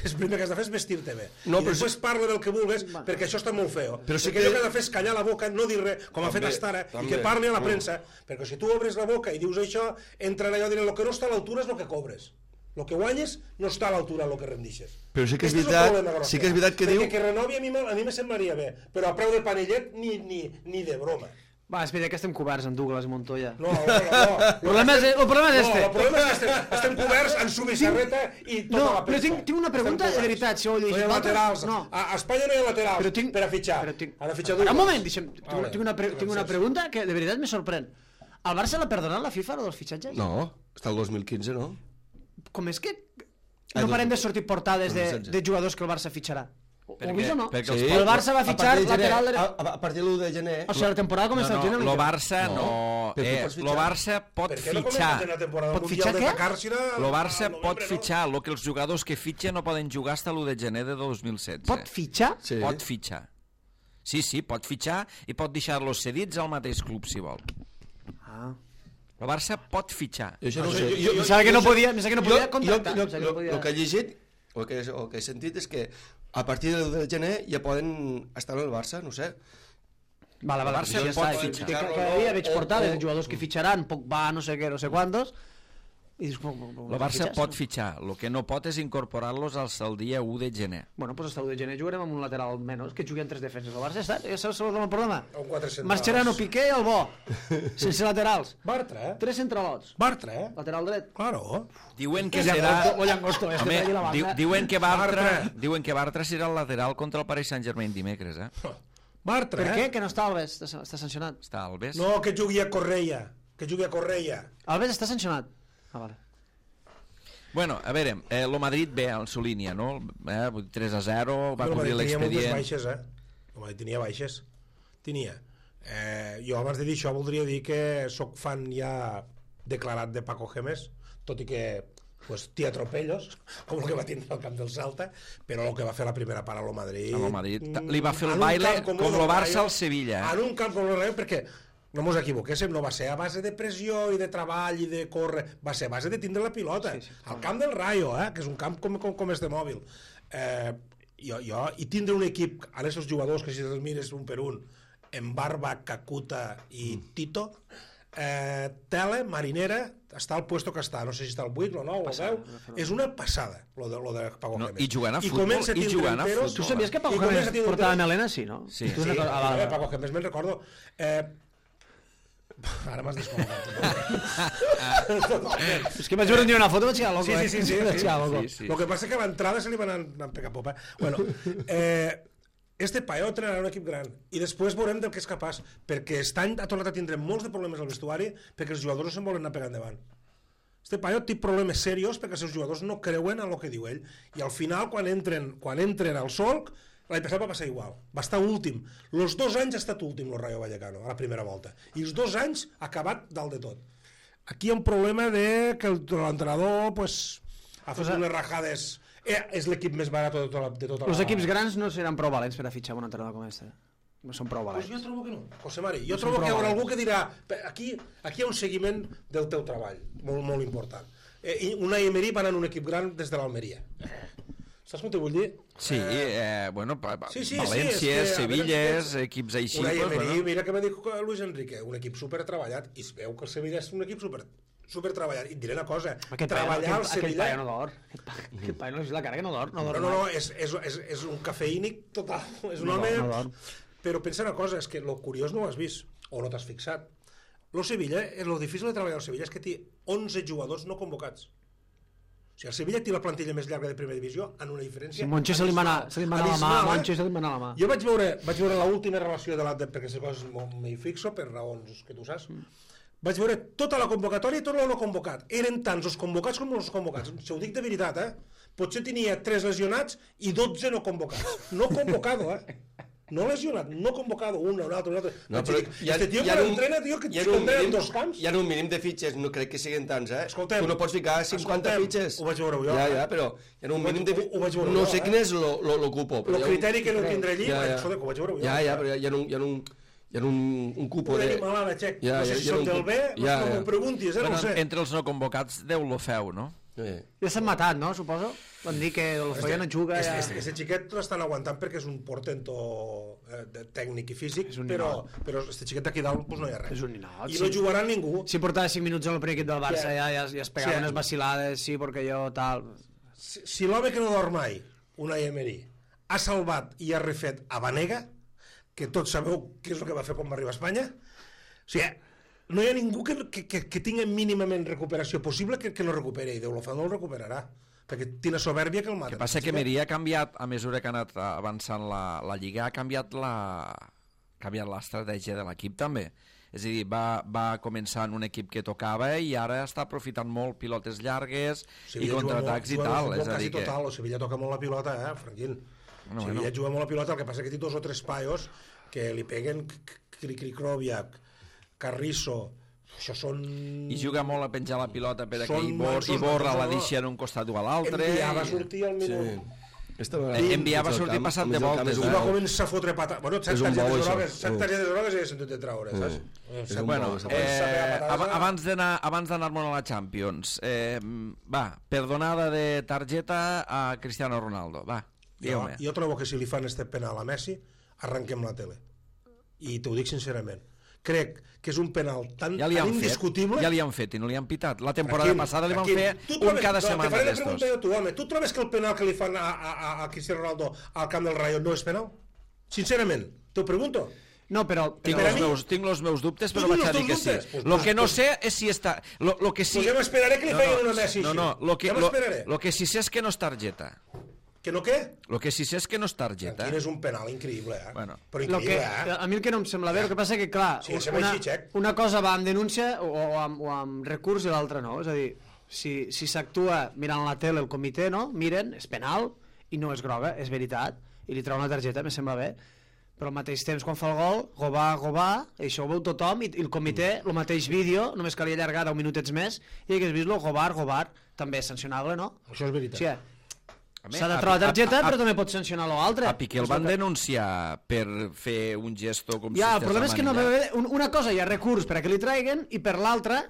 El primer que has de fer és vestir-te bé. No, I però després si- parla del que vulgues, perquè això està molt feo. Però sí perquè que- allò que ha de fer és callar la boca, no dir res, com ha fet També, Astara, i també. que parli a la Mm. premsa, perquè si tu obres la boca i dius això, entren allò dient, lo que no està a l'altura és el que cobres. Lo que guanyes no està a l'altura del que rendixes. Però sí que és Este el veritat- problema gros sí que és veritat que perquè diu- que renovi a mi, me- a mi me semblaria bé, però a preu de panellet ni, ni, ni de broma. Va, espera, que estem coberts amb Douglas i Montoya. No, no, no. El problema és, el problema és No, este. el problema és que estem, estem coberts en subissarreta i tota No, la però premsa. tinc- tinc una pregunta Estem de coberts. veritat, si ho heu llegit No hi ha vosaltres, laterals. no. A, a Espanya no hi ha laterals Però tinc- per a fitxar. Però tinc... Han de fitxar Ara, un Douglas. moment, deixa'm, tinc, Vale, tinc, una, pre tinc una gràcies. pregunta que de veritat me sorprèn. Al Barça l'ha perdonat la FIFA, lo dels fitxatges? No, està el dos mil quinze, no? Com és que Ah, no dos- parem de sortir portades de, dos mil setze. de jugadors que el Barça fitxarà? Ho Perquè- heu vist o no? perquè Sí. El Barça va A fitxar partir de gener- lateral... A, dret- a partir de l'u de gener... O sigui, la temporada No, comença al no, gener. lo Barça no... No. Però tu Eh, pots lo fitxar. Barça pot Per què no fitxar. comencen la temporada Pot mundial fitxar de què? Dakar, si era Lo al- Barça al pot novembre, no? fitxar. Lo que els jugadors que fitxen no poden jugar fins a l'u de gener de dos mil setze. Pot fitxar? Sí. Pot fitxar. Sí, sí, pot fitxar i pot deixar-los cedits al mateix club, si vol. Ah. El Barça pot fitxar. Jo això no ho Això sé. jo- jo- Pensava que no podia, pensava que no podia jo, contractar. jo, pensava que no jo, podia- el que he llegit, el que, el que he sentit és que a partir del de gener ja poden estar en el Barça, no sé. Vale, vale, El Barça ja pot està. fitxar. Que cada dia veig O- portades o- de jugadors que fitxaran, Pogba, no sé què, no sé quantos, i dius, com, com, com El Barça fitxes? pot fitxar. El que no pot és incorporar-los al el dia u de gener. Bueno, pues hasta el de gener jugarem amb un lateral menys, que jugui en tres defenses. El Barça està, ja saps el problema. O quatre centrals. Mascherano, Piqué i el Bo, sense laterals. Bartra, eh? Tres centralots. Bartra, eh? Lateral dret. Claro. Diuen que O serà... O Llangosto, este Home, per allí la diu, banda. diuen que Bartra, Bartra. diuen que Bartra serà el lateral contra el Paris Saint-Germain dimecres, eh? Bartra, Per eh? què? Que no està Alves, està, està sancionat. Està Alves. No, que jugui a Correia. Que jugui a Correia. Alves està sancionat. Ah, vale. Bueno, a veure, eh, lo Madrid ve en su línia, no? Eh, vull dir, tres a zero, va Però cobrir Madrid tenia moltes l'expedient. baixes, eh? El Madrid tenia baixes. Tenia. Eh, jo abans de dir això voldria dir que sóc fan ja declarat de Paco Gémez, tot i que pues, té atropellos, com el que va tindre al camp del Salta, però el que va fer la primera part a lo Madrid... A lo Madrid. mm, Li va fer el en un baile camp com el lo del Barça Rayo, al Sevilla, eh? En un camp com el Rayo, perquè no mos equivoquéssim, no va ser a base de pressió i de treball i de córrer, va ser a base de tindre la pilota. Sí, sí, al camp del Rayo, eh, que és un camp com, com, com este mòbil. Eh, jo, jo, I tindre un equip, ara aquests jugadors que si els mires un per un, en Barba, Kakuta i Tito, eh, Tele, Marinera, està al puesto que està, no sé si està al vuit o nou o al deu, és una passada lo de, lo de Paco No, Gémez. i jugant a I futbol, comença a i tindre jugant a enteros- futbol. Tu sabies que Paco I comença Gémez a tindre portava enteros- melena? Sí, no? Sí. Tu Sí, recordes- ah, vale, eh, vale. Paco Gémez me'n recordo. Eh, ara m'has descol·locat. És que vaig veure un dia una foto i vaig quedar loco, Sí, sí, sí, sí, eh? Vaig sí. quedar loco. Sí, sí. Lo que passa és que a l'entrada se li van anar pegar popa. Bueno, eh, este paio entrenarà un equip gran i després veurem del que és capaç, perquè aquest any ha tornat a tindre molts de problemes al vestuari perquè els jugadors no se'n volen anar pegant endavant. Este paio té problemes serios perquè els seus jugadors no creuen en el que diu ell i al final quan entren, quan entren al solc l'any passat va passar igual, va estar últim els dos anys ha estat últim el Rayo Vallecano a la primera volta i els dos anys ha acabat dalt de tot. Aquí hi ha un problema de que el- l'entrenador pues, ha fet unes rajades. Eh, és l'equip més barat de tota la, de tota Els la... equips grans no seran prou valents per a fitxar un entrenador com este. No són prou Pues valents. jo trobo que no, José Mari. Jo No trobo són que hi prou haurà valents. algú que dirà aquí, aquí hi ha un seguiment del teu treball, molt, molt important. Eh, i Unai Emery va anar en un equip gran des de l'Almeria. Saps com t'ho vull dir? Sí, eh, bueno, pa, pa, Sí, sí, sí, Valències, és que, a Sevilles, veure, equips així... Unai pues, Emery, bueno. mira que va dir Luis Enrique, un equip super treballat, i es veu que el Sevilla és un equip super, supertreballat. I et diré una cosa, Aquest treballar al Sevilla... Aquest paio no d'or. Aquest paio no és la cara que no d'or. No, No, no, no, és, és, és, és un cafeïnic total. És un No home... d'or, no d'or. Però pensa una cosa, és que el curiós no ho has vist, o no t'has fixat. Lo Sevilla, el difícil de treballar al Sevilla és que té onze jugadors no convocats. O sigui, el Sevilla té la plantilla més llarga de primera divisió en una diferència... Si Moncho se li mana, se li mana la mà, abismal, eh? Moncho se li mana la mà. Jo vaig veure, vaig veure l'última relació de la... De, perquè aquestes coses m'hi fixo per raons que tu saps. Vaig veure tota la convocatòria i tot el no convocat. Eren tants els convocats com els convocats. Si ho dic de veritat, eh? Potser tenia tres lesionats i dotze no convocats. No convocado, eh? No lesionat, no convocado, un, un altre, un altre. No, però hi ha, este tio que entrena, tio, que entrena en dos camps. Hi ha un mínim de fitxes, no crec que siguin tants, eh? Escoltem, tu no pots ficar cinquanta fitxes. Ho vaig veure jo. Ja, ja, però hi ha un mínim de fitxes. No sé eh? quin és l'ocupo. El criteri que no tindré allí, ja, ja. escolta, ho vaig veure jo. Ja, ja, però hi ha un... Hi ha un hi ha un, un cupo una de... animalada, Xec. Ja, no sé ja, si ja, són ja, del bé, ja, no ja. m'ho preguntis, eh, Bueno, no ho sé. entre els no convocats, Déu lo feu, no? Eh. Ja s'han matat, no, suposo? Van dir que el Foya no juga... Este, Ja... este, este xiquet l'estan aguantant perquè és un portento eh, de, tècnic i físic, però, però este xiquet d'aquí dalt pues, no hi ha res. És un ninot, I sí. no jugarà ningú. Si portava cinc minuts en el primer equip del Barça Sí. ja, ja, ja es pegava Sí. unes vacilades, sí, perquè jo tal... Si, si l'home que no dorm mai, Unai Emery, ha salvat i ha refet a Banega, que tots sabeu què és el que va fer quan va arribar a Espanya, o sigui, no hi ha ningú que, que, que, que tingui mínimament recuperació possible que, que no recuperi, i Déu lo fa, no el recuperarà, perquè té una soberbia que el mata. El que passa que Meria ha canviat, a mesura que ha anat avançant la, la Lliga, ha canviat la ha canviat l'estratègia de l'equip també. És a dir, va, va començar en un equip que tocava i ara està aprofitant molt pilotes llargues i contraatacs i tal. És a dir que... total, o Sevilla toca molt la pilota, eh, Franquín. Bueno, Sevilla bueno. juga molt la pilota, el que passa que té dos o tres paios que li peguen Krikroviak, Carrizo, això són... I juga molt a penjar la pilota per Són aquí i, bor, mansos, i borra mansos, la no? deixa en un costat o a l'altre. Enviar va i- sortir al minut... Sí. Esta Eh, enviar va sortir passat de voltes, I va començar a fotre pata... Bueno, set És un targetes bou, això. grogues, set Sí. targetes grogues i he sentit de traure, saps? És Set- un Bueno, bou, eh, eh, patata. ab abans d'anar abans d'anar-me'n a la Champions, eh, va, perdonada de targeta a Cristiano Ronaldo, va, Jo, digue-me. jo trobo que si li fan este penal a Messi, arrenquem la tele. I t'ho dic sincerament. Crec que és un penal tan, Ja li tan han fet, indiscutible... ja li han fet i no li han pitat. La temporada Tranquil, passada li van tranquil. fer Tu un trobes- cada no, setmana te faré la d'estos. pregunta jo a tu, home. Tu trobes que el penal que li fan a, a, a, a Cristiano Ronaldo al camp del Rayo no és penal? Sincerament, t'ho pregunto. No, però... Tinc Per a els, mi- meus, tinc els meus dubtes, Tu però tens vaig a els dir que teus sí. dubtes? Pues- Lo que no pues- sé és si està... Lo, lo que sí... Pues ja m'esperaré que li facin una Messi No, així. no, lo que, Ja lo, m'esperaré. lo que sí sé és que no és targeta. Que no què? Lo que sí sé és que no és targeta. Quin és un penal increïble, eh? Bueno. Però Lo que, increïble, eh? a mi el que no em sembla bé, el que passa que, clar, Sí, sembla una, així, Xec. una cosa va amb denúncia o, o, amb, o amb recurs i l'altra no. És a dir, si si s'actua mirant la tele el comitè, no? Miren, és penal i no és groga, és veritat, i li treu una targeta, me sembla bé. Però al mateix temps, quan fa el gol, gobà, gobà, i això ho veu tothom, i, i el comitè, el mateix vídeo, només calia allargar deu minutets més, i hagués vist-lo, gobar, gobar, també és sancionable, no? Això és veritat. Sí, eh? A mi- S'ha de a- trobar a- targeta, a- però també pot sancionar l'altre. A Piqué el van denunciar per fer un gesto com Ja, si el problema és que no amanillat. ve un, una cosa hi ha recurs per a que li traiguen i per l'altra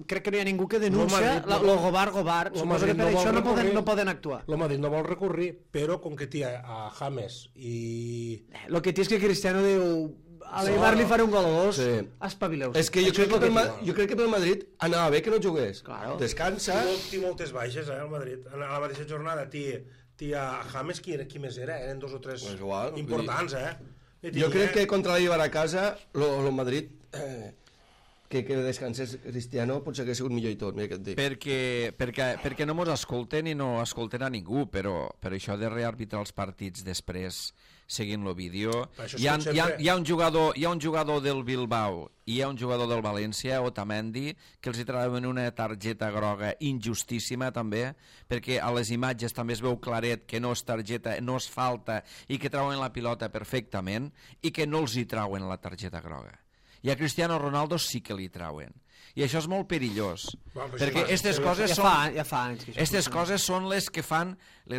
crec que no hi ha ningú que denuncia Madrid no la- vol- lo gobar, gobar. Lo Suposo Madrid que per no vol això no poden, recurrir. no poden actuar. El Madrid no vol recurrir, però com que té a James i... El que té és que Cristiano diu a l'Eibar li faré un gol o dos, Sí. espavileu. És que jo crec que, pel, Ma- jo crec que pel Madrid anava bé que no jugués. Claro. Descansa. Té, té moltes baixes, eh, el Madrid. A la mateixa jornada té, té a James, qui, qui més era? Eren dos o tres Pues igual, importants, eh? I Jo tenia- crec que contra l'Eibar a casa, el Madrid, eh, que, que descansés Cristiano, potser que ha sigut millor i tot, mira què et dic. Perquè, perquè, perquè no mos escolten i no escolten a ningú, però, però això de rearbitrar els partits després seguint el vídeo... Per això Hi ha, sempre- hi, ha, hi, ha un jugador, hi ha un jugador del Bilbao i hi ha un jugador del València, Otamendi, que els hi trauen una targeta groga injustíssima també, perquè a les imatges també es veu claret que no és targeta, no és falta i que trauen la pilota perfectament i que no els hi trauen la targeta groga. I a Cristiano Ronaldo sí que li trauen. I això és molt perillós, Bueno, però perquè sí, aquestes sí, coses Ja són... fa, ja fa anys que això Aquestes funciona. coses són les que fan...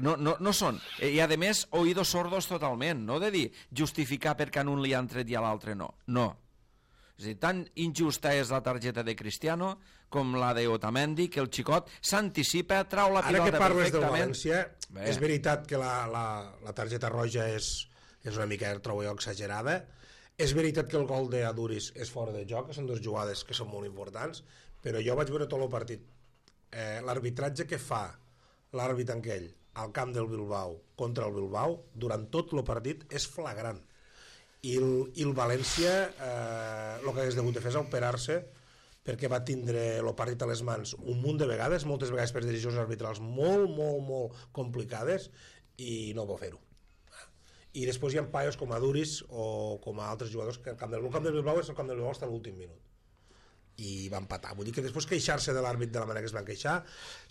No, no, no són... I a més, oïdos sordos totalment, no de dir justificar perquè a un li han tret i a l'altre no. No. És a dir, tan injusta és la targeta de Cristiano com la de Otamendi, que el xicot s'anticipa, trau la Ara pilota que parles del perfectament. València, Bé. és veritat que la, la, la targeta roja és, és una mica, trobo jo, exagerada. És veritat que el gol d'Aduris és fora de joc, que són dues jugades que són molt importants, però jo vaig veure tot el partit. Eh, l'arbitratge que fa l'àrbit aquell al camp del Bilbao contra el Bilbao durant tot el partit és flagrant. I el, i el València eh, el que hagués degut de fer és operar-se, perquè va tindre el partit a les mans un munt de vegades, moltes vegades per decisions arbitrals molt, molt, molt complicades, i no va fer-ho. I després hi ha paios com a Duris o com a altres jugadors que el camp del, el camp del Bilbao és el camp del Bilbao fins a l'últim minut. I va empatar. Vull dir que després queixar-se de l'àrbit de la manera que es van queixar,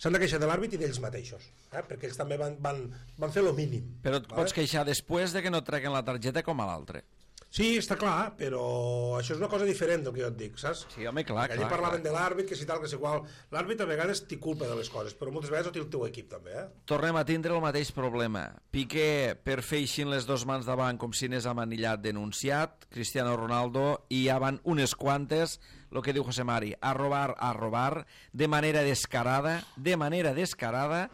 s'han de queixar de l'àrbit i d'ells mateixos, eh? Perquè ells també van, van, van fer lo mínim. Però et vale? Pots queixar després de que no treguin la targeta com a l'altre. Sí, està clar, però això és una cosa diferent del que jo et dic, saps? Sí, home, clar, Allí clar. parlaven clar. de l'àrbit, que si tal, que si qual. L'àrbit a vegades té culpa de les coses, però moltes vegades ho té el teu equip també, eh? Tornem a tindre el mateix problema. Piqué per fer així les dos mans davant com si n'és amanillat denunciat, Cristiano Ronaldo, i ja van unes quantes, el que diu José Mari, a robar, a robar, de manera descarada, de manera descarada,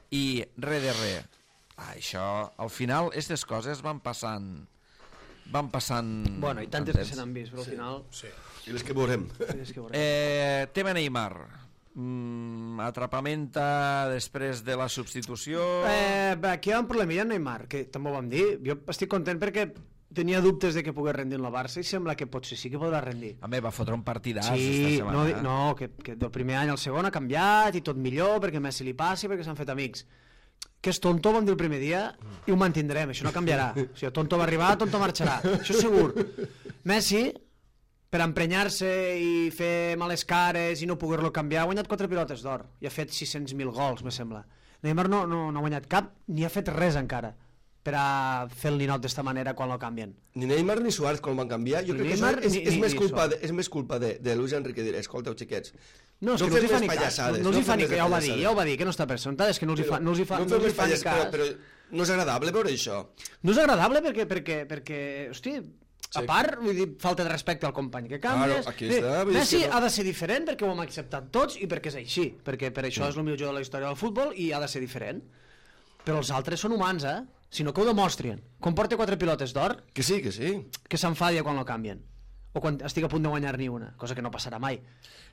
i res de res. Ah, això, al final, aquestes coses van passant... van passant... Bueno, i tantes que se n'han vist, però al final... Sí. I les que veurem. És que veurem. Eh, tema Neymar. Mm, atrapamenta després de la substitució... Eh, bé, aquí hi ha un problemilla amb Neymar, que també ho vam dir. Jo estic content perquè tenia dubtes de que pogués rendir en la Barça i sembla que potser sí que podrà rendir. A mi va fotre un partidàs Sí, esta setmana. no, di- no que, que del primer any al segon ha canviat i tot millor perquè Messi li passi, perquè s'han fet amics. Que és tonto, vam dir el primer dia, i ho mantindrem, això no canviarà. O sigui, tonto va arribar, tonto marxarà, això és segur. Messi, per emprenyar-se i fer males cares i no poder-lo canviar, ha guanyat quatre pilotes d'or i ha fet sis-cents mil gols, me sembla. Neymar no, no, no ha guanyat cap, ni ha fet res encara per a fer el ninot d'esta manera quan lo canvien. Ni Neymar ni Suárez quan van canviar, jo Ni crec Neymar que això és, ni- és, ni- més ni culpa Suárez. de, és més culpa de, de Luis Enrique dir, escolteu xiquets, No, és no que no fem els hi fa més ni cas, pallassades, no, no els hi no fa fem ni més cas, ja ho va dir, pallassades. ja ho va dir, que no està presentat, és que no els hi fa, no els hi fa, no, fem els hi més fa ni pallas, cas. però, però no és agradable veure això. No és agradable perquè, perquè, perquè hosti, a part, vull dir, falta de respecte al company que canvies. Claro, aquí Bé, està, vull dir Messi que no- ha de ser diferent perquè ho hem acceptat tots i perquè és així, perquè per això és el millor jugador de la història del futbol i ha de ser diferent. Però els altres són humans, eh? Si no que ho demostrin. Quan porta quatre pilotes d'or, Que sí, que sí. que s'enfadia quan lo canvien. O quan estic a punt de guanyar ni una, cosa que no passarà mai.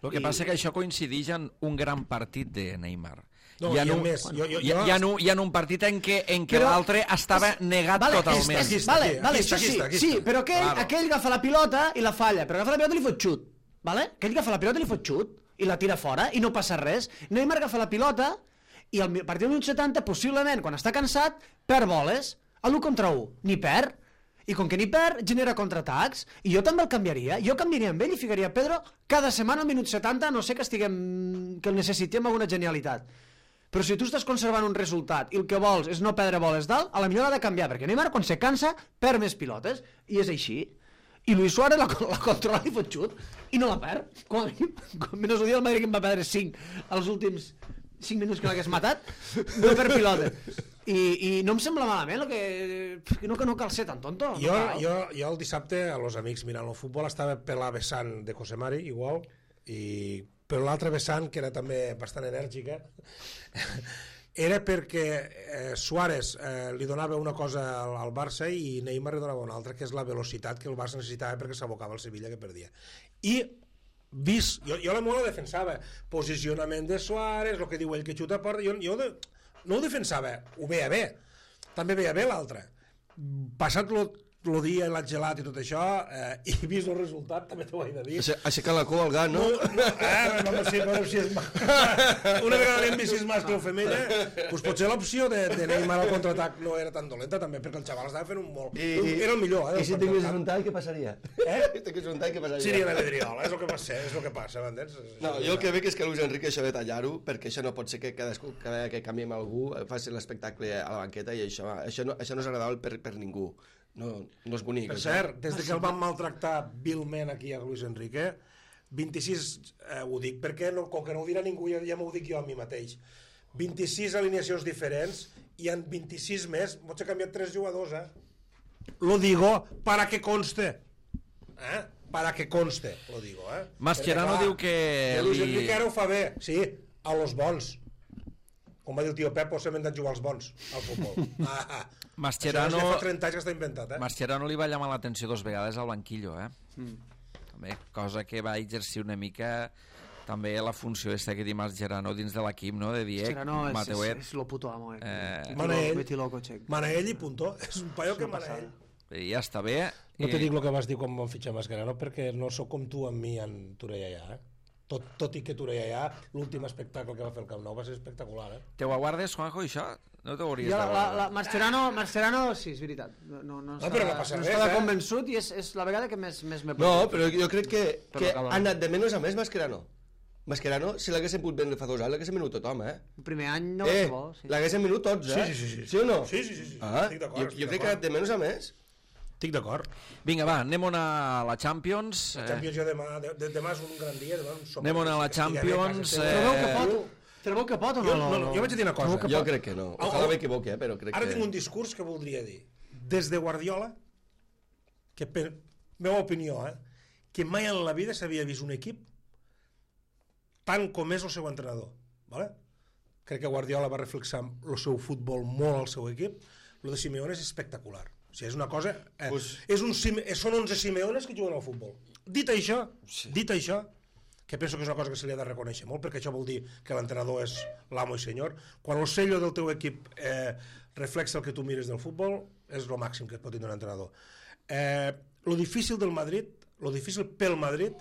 El que I- passa que això coincideix en un gran partit de Neymar. No, hi ha i a un, més, jo- jo- hi, ha- jo- hi, ha un, hi ha un partit en què, en què Però- l'altre estava negat vale, totalment. Aquí està, vale, aquí, vale, aquí està, això aquí sí, està, aquí sí, està. però aquell, Claro. aquell agafa la pilota i la falla, però agafa la pilota i li fot xut, vale? Aquell agafa la pilota i li fot xut i la tira fora i no passa res. Neymar agafa la pilota i al mi- a partir del minut setanta, possiblement, quan està cansat, perd boles, a l'u contra u, ni perd, i com que ni perd, genera contraatacs, i jo també el canviaria, jo canviaria amb ell i ficaria Pedro cada setmana al minut setanta, a no sé que estiguem, que el necessitem alguna genialitat. Però si tu estàs conservant un resultat i el que vols és no perdre boles dalt, a la millor ha de canviar, perquè Neymar quan se cansa perd més pilotes, i és així. I Luis Suárez la, la controla i fot xut, i no la perd. Com a mínim, com menys ho dia el Madrid que en va perdre cinc als últims cinc minuts que l'hagués matat, no perd pilota. I, I no em sembla malament, el que, que no, que no cal ser tan tonto. Jo, no cal. jo, jo el dissabte, a los amics mirant el futbol, estava per la vessant de José Mari, igual, i però l'altra vessant, que era també bastant enèrgica, era perquè eh, Suárez eh, li donava una cosa al, al Barça i Neymar li donava una altra, que és la velocitat que el Barça necessitava perquè s'abocava al Sevilla, que perdia. I vist, jo, jo la molt la defensava, posicionament de Suárez, el que diu ell que xuta a porta, jo, jo de, no ho defensava, ho veia bé, també veia bé l'altre. Passat lo, lo dia, l'ha gelat i tot això, eh, i vist el resultat, també t'ho he de dir. Aixe- Aixecar la cua al gat, no? No, no, eh, no, si, no, si és una vegada l'hem vist si és mascle o femella, doncs potser l'opció de, de Neymar al contraatac no era tan dolenta també, perquè el xaval estava fent un molt... I, un, era el millor, eh? I si tingués frontal, què passaria? Eh? Si tingués frontal, què passaria? Seria la vidriola, és el que passa, és el que passa, m'entens? No, jo el que veig és que Luis Enrique això de tallar-ho, perquè això no pot ser que cadascú, cada vegada que canviem algú, faci l'espectacle a la banqueta i això, això, no, això no és agradable per, per ningú. No, no és bonic. Per això. cert, des de que el van maltractar vilment aquí a Luis Enrique, vint-i-sis, eh, ho dic perquè no, com que no ho dirà ningú, ja, ja m'ho dic jo a mi mateix, vint-i-sis alineacions diferents i en vint-i-sis més pots ha canviat tres jugadors, eh? Lo digo para que conste. Eh? Para que conste, lo digo, eh? Mascherano Perquè, clar, diu que que Luis li- Enrique ara ho fa bé, sí, a los bons. Com va dir el tio Pep, posem de jugar als bons al futbol. Ah, ah. Mascherano- Això ja fa trenta anys que està inventat, eh? Mascherano li va llamar l'atenció dos vegades al banquillo, eh? Mm. També, cosa que va exercir una mica també la funció aquesta que diu Mascherano dins de l'equip, no? De dir, Mascherano és, Mateuet... és, és lo puto amo, eh? Eh, Mana ell. Meti loco, check. Mana ell i punto. És un paio que mana ell. ja està bé. No i- te dic el que vas dir quan vam fitxar Mascherano, perquè no sóc com tu amb mi en Torellà, eh? Tot, tot i que Torellà, l'últim espectacle que va fer el Camp Nou va ser espectacular, eh? Te ho aguardes, Juanjo, això? No t'ho hauries Ja, de la, la, guardar. Mascherano, Mascherano, sí, és veritat. No, no, no, No, però no passa no res, estava eh? convençut i és, és la vegada que més, més m'he No, però jo crec que, Però que acaba. ha anat de menys a més Mascherano. Mascherano, si l'haguéssim pogut vendre fa dos anys, l'haguéssim venut tothom, eh? El primer any no va eh, ser bo. Sí. l'haguéssim venut tots, eh? Sí, sí, sí, sí. Sí o no? Sí, sí, sí, sí. Ah, Estic d'acord, jo, estic jo crec que ha d'acord. anat de menys a més. Estic d'acord. Vinga, va, anem a la Champions. La Eh, Champions jo demà, de, de, demà és un gran dia, demà és un somni. Anem a la Estic allà a Champions, casa Però teva. veu que eh, pot, però veu que pot o no? Jo, no, no, jo vaig a dir una cosa. Jo crec que no. Au, Ojalà au. m'equivoqui, eh? Però crec Ara que... tinc un discurs que voldria dir. Des de Guardiola, que per meva opinió, eh, que mai en la vida s'havia vist un equip tant com és el seu entrenador. Vale? Crec que Guardiola va reflexar el seu futbol molt al seu equip. Lo de Simeone és espectacular. O sigui, és una cosa... Eh, Pues- és un, Sime- són onze Simeones que juguen al futbol. Dit això, sí. dit això, que penso que és una cosa que se li ha de reconèixer molt, perquè això vol dir que l'entrenador és l'amo i senyor. Quan el sello del teu equip eh, reflexa el que tu mires del futbol, és el màxim que et pot tindre un entrenador. Eh, lo difícil del Madrid, lo difícil pel Madrid,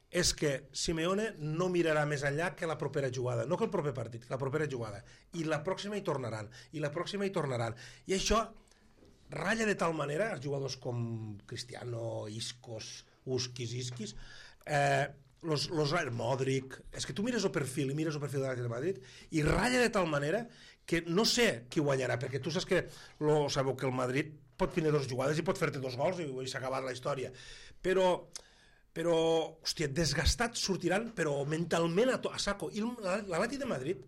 és que Simeone no mirarà més enllà que la propera jugada, no que el proper partit, que la propera jugada. I la pròxima hi tornaran, i la pròxima hi tornaran. I això ratlla de tal manera els jugadors com Cristiano, Iscos, Uskis, Isquis, eh, los, los, Modric, és que tu mires el perfil i mires el perfil de l'Atlètic de Madrid i ratlla de tal manera que no sé qui guanyarà, perquè tu saps que lo, sabeu que el Madrid pot tenir dos jugades i pot fer-te dos gols i, i s'ha acabat la història, però però, hòstia, desgastats sortiran, però mentalment a, to, a saco. I l'Atlètic de Madrid,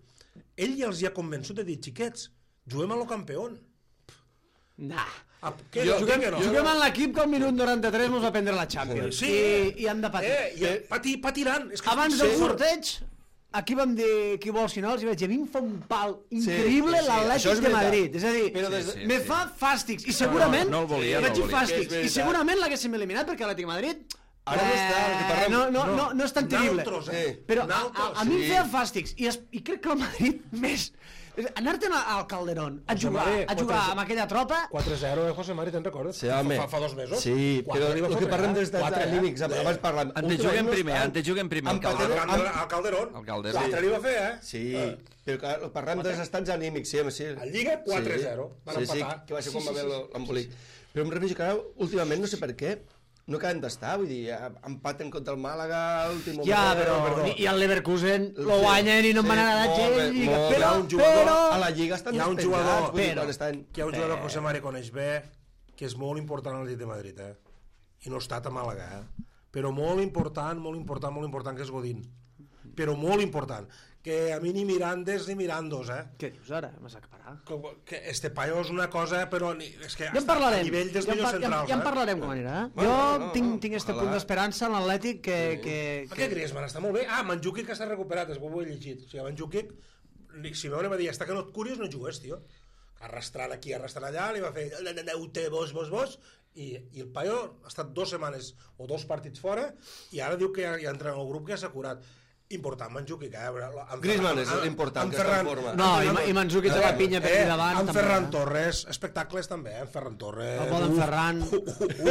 ell ja els hi ha convençut de dir, xiquets, juguem a lo campeón. Nah. Ah, què, Jo- jo, Juguem, que no? juguem en l'equip que al minut noranta-tres mos va prendre la Champions. Sí. I, i han de patir. Eh, i pati, patiran. És que Abans estic del segur. sorteig, aquí vam dir qui vols si no, els hi vaig dir, a mi em fa un pal increïble sí, sí, això l'Atlètic és de veritat. Madrid. És a dir, Però des de- Sí, me sí. fa fàstics. I segurament, no el volia, no el vaig dir volia. fàstics, És veritat. i segurament l'haguéssim eliminat perquè l'Atlètic de Madrid Ara no està, el que eh, parlem- no, no, no, no és tan terrible. Naltros, eh? Eh. Però a, a, Naltros, a mi em sí. feia fàstics i, es, i crec que el Madrid més... Anar-te'n al Calderón a José jugar, Mari, a jugar quatre- amb aquella tropa... quatre zero, eh, José Mari, te'n recordes? Sí, home. Fa, fa dos mesos. Sí, Quatre però li va el que fotre, parlem eh? dels estats Quatre, eh? anímics, abans parlàvem... En te juguen primer, en te juguen primer. Empatem- Al Calderón. Calderón. Al Calderón. Al Calderón. Quatre li va fer, eh? Sí, però clar, parlem dels estats anímics, sí, home, sí. A Lliga, quatre zero. Van Sí, sí, empatar. que va ser Sí, quan sí, va haver sí, sí. l'embolic. Però em refereixo que ara, últimament, no sé per què, no acaben d'estar, vull dir, empaten contra el Màlaga, l'últim moment... Ja, però... perdó. I el Leverkusen Sí, lo guanyen i no en van sí, anar a la molt bé, Lliga. molt bé. Però, Hi ha un jugador però... A la Lliga estan Hi ha un despenjats, jugador, vull dir, però- quan estan... Que hi ha un jugador que José Mari coneix bé, que és molt important a l'Atlètic de Madrid, eh? I no ha estat a Màlaga, eh? Però molt important, molt important, molt important, que és Godín. Però molt important. Que a mi ni Mirandes ni Mirandos, eh? Què dius ara? M'has acaparat. Que, que este paio és una cosa, però ni, és que Ja en està parlarem. a nivell dels ja, en millors par- ja, en- centrals, ja en eh? parlarem com anirà. Bueno, jo no, no, tinc, no. tinc este Ojalà. punt d'esperança en l'Atlètic que... que, Per que... què Griezmann està molt bé? Ah, Mandzukic que està recuperat, és bo, ho he llegit. O sigui, Mandzukic, Simeone va dir, hasta que no et curis no jugues, tio. Arrastrant aquí, arrastrant allà, li va fer neute, vos, vos, vos, i, i el paio ha estat dues setmanes o dos partits fora i ara diu que ja, ja entra en el grup que ja s'ha curat. Important, Mandzukic, eh? Amb Griezmann Ferran- és amb- l'important, amb que està en Ferran- forma. No, amb i, Ferran- i Mandzukic té la pinya per eh, aquí davant. amb també, Ferran eh? Torres, espectacles també, eh? Ferran Torres. El bo d'en uf, Ferran.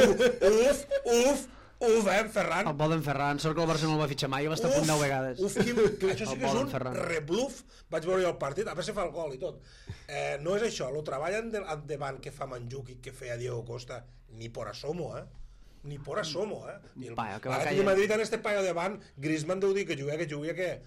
Uf, uf, uf, eh, en Ferran. El bo d'en Ferran. Sort que el Barça no el va fitxar mai, va estar a punt deu vegades. Uf, quin, això sí El que és Bolen un Ferran. rebluf. Vaig veure el partit, a veure si fa el gol i tot. Eh, no és això, lo treballen de, davant que fa Mandzukic, que feia Diego Costa, ni por asomo, eh? Ni por asomo, eh? I el, Paio, que va l'Atlètic caient. de Madrid en este paio davant, Griezmann deu dir que jugui, que jugui, que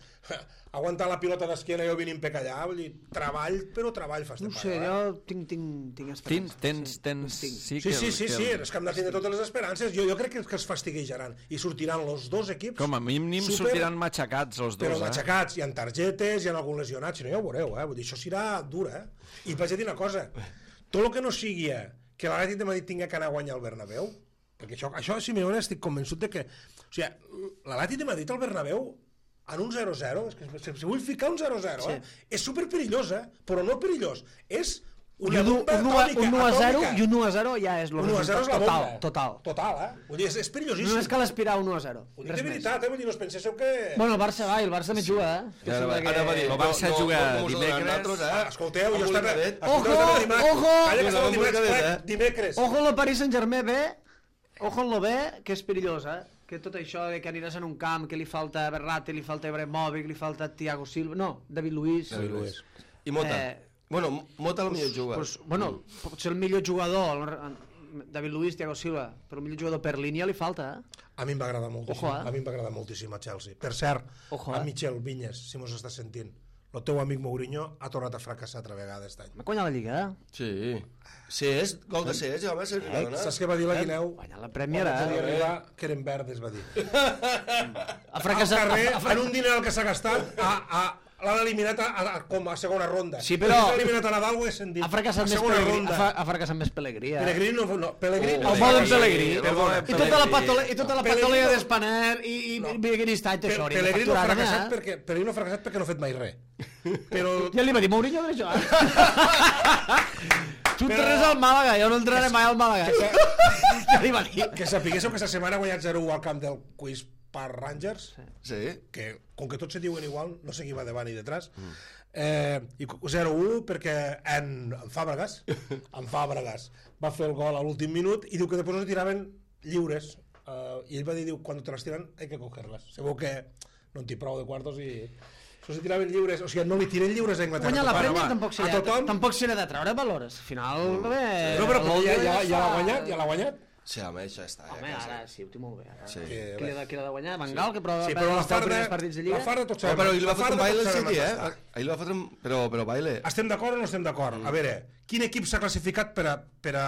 aguantar la pilota d'esquena i jo vinc per allà, vull dir, treball, però treball fa este No ho sé, paio, eh? jo tinc, tinc, tinc esperança. Tens, tens, tens... tinc. Sí, Sí, que, sí, sí, que, sí, és que hem de tindre totes les esperances. Jo, jo crec que, que es fastiguejaran i sortiran els dos equips. Com a mínim super- sortiran matxacats els dos, Però eh? matxacats, hi ha targetes, hi ha algun lesionat, si no ja ho veureu, eh? Vull dir, això serà dur, eh? I vaig a dir una cosa, tot el que no sigui eh, que l'Atlètic de Madrid tinga que anar a guanyar el Bernabéu, perquè això, això Simeone estic convençut de que... O sigui, l'Atlètic de Madrid al Bernabéu en un zero zero, és que si vull ficar un zero zero, eh? És superperillós, eh? Però no perillós, és una un, bomba un, atòmica, un u a zero atòmica. i un u a zero ja és el un u a zero és la total, bomba. total. Total, eh? Vull dir, és, és perillosíssim. Només cal aspirar un u a zero. Ho dic de veritat, eh? Vull dir, no us penseu que... Bueno, el Barça va, i el Barça també juga, eh? Que Ara, sembla que- ara va dir, El Barça no, juga no, no, no, dimecres. nosaltres, eh? Ah, escolteu, jo estava... Cadet. escolteu, Ojo, estava dimarts. ojo! Calla, que estava Amb un dimarts, cadet, plec, eh? dimecres. Ojo el Paris Saint-Germain bé, ojo el bé, que és perillós, eh? Que tot això de que aniràs en un camp, que li falta Berratti, li falta Ibrahimovic, li falta Thiago Silva... No, David Luiz. David Luiz. I Mota. Eh, Bueno, Mota el millor juga. Pues, bueno, potser el millor jugador, David Luiz, Thiago Silva, però el millor jugador per línia li falta, eh? A mi em va agradar moltíssim, Ojo, eh? a mi em va agradar moltíssim a Chelsea. Per cert, Ojo, a eh? Michel Vinyes, si mos estàs sentint, el teu amic Mourinho ha tornat a fracassar altra vegada aquest any. Va guanyar la Lliga, eh? Sí. Cés, gol de Cés, home, se Eh? Saps què va dir la Guineu? Guanyar la Premier, Quan vaig eh? arribar, que eren verdes, va dir. Ha Al fracassat... carrer, ha- ha- en un diner que s'ha gastat, a, a, l'han eliminat a, a, com a segona ronda. Sí, però- L'ha eliminat a Nadal, ho he sentit. Ha fracassat a més segona Pellegrí. ronda. Ha, fra- ha fracassat més Pellegrí, eh? Pellegrini no... no Pellegrini... El modo en Pellegrí. Perdona. I tota la patole, i tota la Pellegrí patolea no- d'Espaner i, i, No. i Pellegrí està Pe- tesori. Pellegrini no ha facturant, fracassat eh? perquè, Pellegrini no ha fracassat perquè no ha fet mai res. Però... Ja li va dir Mourinho d'això, eh? Tu entres al Màlaga, jo no entraré mai al Màlaga. Ja li va dir. Que sapiguéssiu que aquesta setmana ha guanyat zero u al camp del Quiz Park Rangers, Sí. que com que tots se diuen igual, no sé qui va davant i detrás, eh, i zero u perquè en, en Fàbregas, en Fàbregas va fer el gol a l'últim minut i diu que després no se tiraven lliures, eh, i ell va dir, diu, quan te les tiran hay que cogerlas. Segur que no en té prou de quartos i... No se tiraven lliures, o sigui, no li tiren lliures a Anglaterra. Guanyar la Bueno, Premier va, tampoc a serà, tothom... tampoc serà de treure valors. Al final, bé... No, però ja, ja, ja, ja l'ha fa- guanyat, ja l'ha guanyat. Sí, home, això està. Home, ja, ara sí, ho té molt bé. Ara. Sí. Qui li ha de, qui l'ha de guanyar? Van Gaal, que prova Sí, però la els deu farda, primers partits de Lliga. la farda tots No, sabem. però ahir li va la fotre un farda baile tots al sabem City, on eh? està. Ahir li va fotre un... Però, però baile. Estem d'acord o no estem d'acord? Mm. A veure, quin equip s'ha classificat per a, per a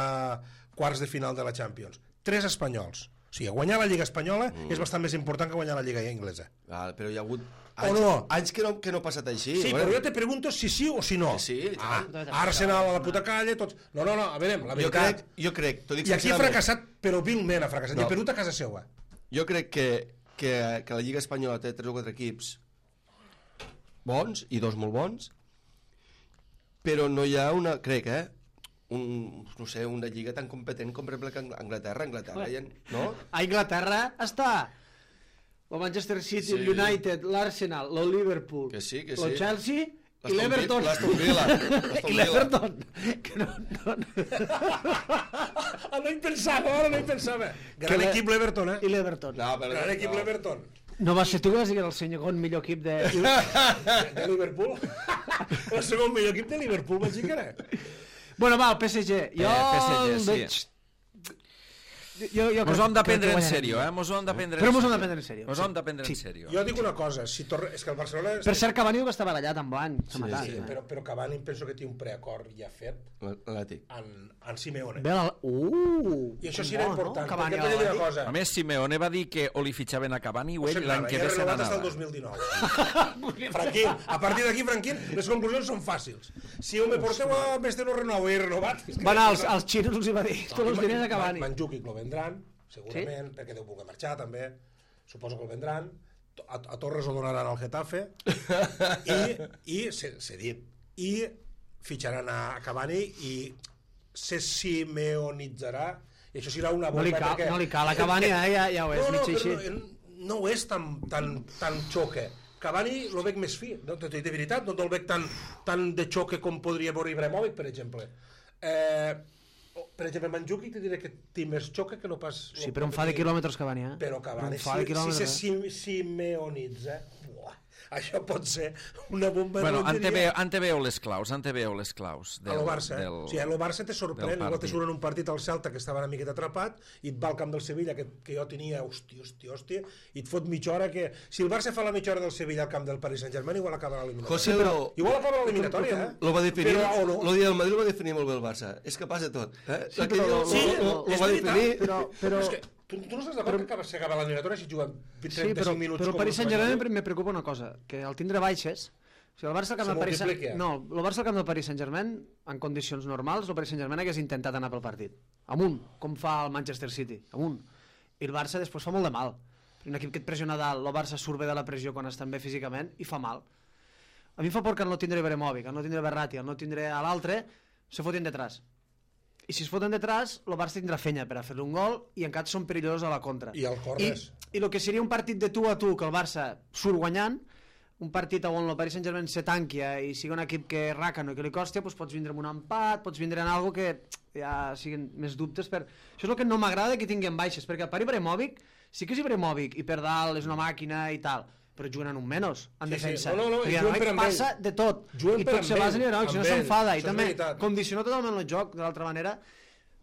quarts de final de la Champions? Tres espanyols. O sigui, guanyar la Lliga Espanyola mm. és bastant més important que guanyar la Lliga Inglesa. Val, però hi ha hagut O anys, no? anys que, no, que no ha passat així. Sí, bueno. però jo te pregunto si sí o si no. Que sí, i ah, tant. Arsenal a la puta calle, tots... No, no, no, a veure, la Jo veritat... crec, jo crec, t'ho dic I aquí ha sincerament, fracassat, però vilment ha fracassat. No. I ha perdut a casa seva. jo crec que, que, que la Lliga Espanyola té tres o quatre equips bons, i dos molt bons, però no hi ha una, crec, eh, un, no sé, una lliga tan competent com per exemple que Anglaterra, Anglaterra, hi ha, no? A Inglaterra està el Manchester City, Sí. el United, l'Arsenal, el Liverpool, Que sí, que el sí. Chelsea i L'Aston l'Everton. Villa- l'Aston Villa, l'Aston I Villa. l'Everton. Que no, no, no. Ah, no hi pensava, ara no hi pensava. Que Gran l'E- equip l'Everton, eh? I l'Everton. No, però, Gran equip no. l'Everton. No va ser tu que vas dir que era el segon millor equip de... De, de Liverpool. El segon millor equip de Liverpool, vaig dir que era. Bueno, va, el P S G. Jo Eh, P S G, el sí. veig... Jo, jo Mos crec- ho hem de crec prendre que en guanyarem. sèrio, eh? Mos ho hem de prendre Però en mos ho hem de sèrio. prendre en sèrio, Mos sí. ho hem de prendre Sí. en sèrio. Jo dic una cosa, si torre... és que el Barcelona... Per cert, Cavani diu que està barallat amb blanc. S'ha matat. Sí, eh? però, però Cavani penso que té un preacord ja fet L'Atlètic. en, en Simeone. Bé, la... Uh! I això com sí era vol, important, no? Cavani perquè a et volia dir una l'Atlètic. cosa. A més, Simeone va dir que o li fitxaven a Cavani o ell Se'n l'any anava, que ja ve se renovat hasta el n'anava. dos mil dinou. Franquín, a partir d'aquí, Franquín, les conclusions són fàcils. Si ho me porteu a més de no renovar i renovat... és que- Va anar als, als xinos, els hi va dir, tots els diners a Cavani. Mandzukic lo vendran, segurament, sí? perquè deu voler marxar també, suposo que el vendran, a, a Torres ho donaran al Getafe, i, i s'ha dit, i fitxaran a Cavani i se simeonitzarà, i això serà una No bomba li cal, perquè... no li cal a Cavani, eh? ja, ja ho és, no, no, mig però així. no, no ho és tan, tan, tan xoque. Cavani lo veig més fi, no? De veritat, no el veig tan, tan de xoque com podria veure Ibrahimovic, per exemple. Eh, per exemple, Mandzukic te diré que té més xoque que no pas... Sí, però em fa de quilòmetres Cavani, eh? Però Cavani, Em fa de si, si quilòmetres, se eh? sim, simeonitza, buah, això pot ser una bomba Bueno, de ante veu, ante veu les claus, ante veu les claus. a lo Barça, eh? del, O sigui, a lo Barça te sorprèn, del igual te partit. surt en un partit al Celta que estava una miqueta atrapat i et va al camp del Sevilla, que, que jo tenia, hòstia, hòstia, hòstia, i et fot mitja hora que... Si el Barça fa la mitja hora del Sevilla al camp del Paris Saint-Germain, igual acaba l'eliminatòria. José lo, Igual acaba l'eliminatòria, eh? lo va definir, Però, o no? lo dia del Madrid lo va definir molt bé el Barça. És capaç de tot. Eh? Sí, Aquell però- lo, Sí, lo, lo, lo és va veritat, definir... però, però, És que tu, tu no estàs d'acord que acaba- s'acaba l'eliminatòria si juguen trenta-cinc sí, però, minuts però el com Paris els Saint-Germain Madrid? me preocupa una cosa, que al tindre baixes, o sigui, el Barça al camp Se del Paris multiplica. Saint-Germain, no, el Barça al camp del Paris Saint-Germain, en condicions normals, el Paris Saint-Germain hagués intentat anar pel partit, amunt, com fa el Manchester City, amunt. I el Barça després fa molt de mal. Un equip que et pressiona dalt, el Barça surt bé de la pressió quan estan bé físicament i fa mal. A mi em fa por que al no tindre Ibrahimovic, al no tindre Berratti, al no tindre a l'altre, se foten detrás. I si es foten detrás, el Barça tindrà fenya per a fer un gol i encara són perillosos a la contra. I el corres. I el que seria un partit de tu a tu que el Barça surt guanyant, un partit on el Paris Saint-Germain se tanquia i sigui un equip que racano i que li costa, doncs pots vindre amb un empat, pots vindre en algo que ja siguin més dubtes per... Això és el que no m'agrada que tinguin baixes, perquè el Pari Ibrahimovic sí que és Ibrahimovic i per dalt és una màquina i tal, però juguen en un menys, en Sí, sí. defensa. No, no, no, perquè juguen per amb passa ell. de tot. Juguen I per tot amb se basa en ell, Ibrahimovic, si no amb ell. s'enfada. I Això és també veritat. condiciona totalment el joc, de l'altra manera,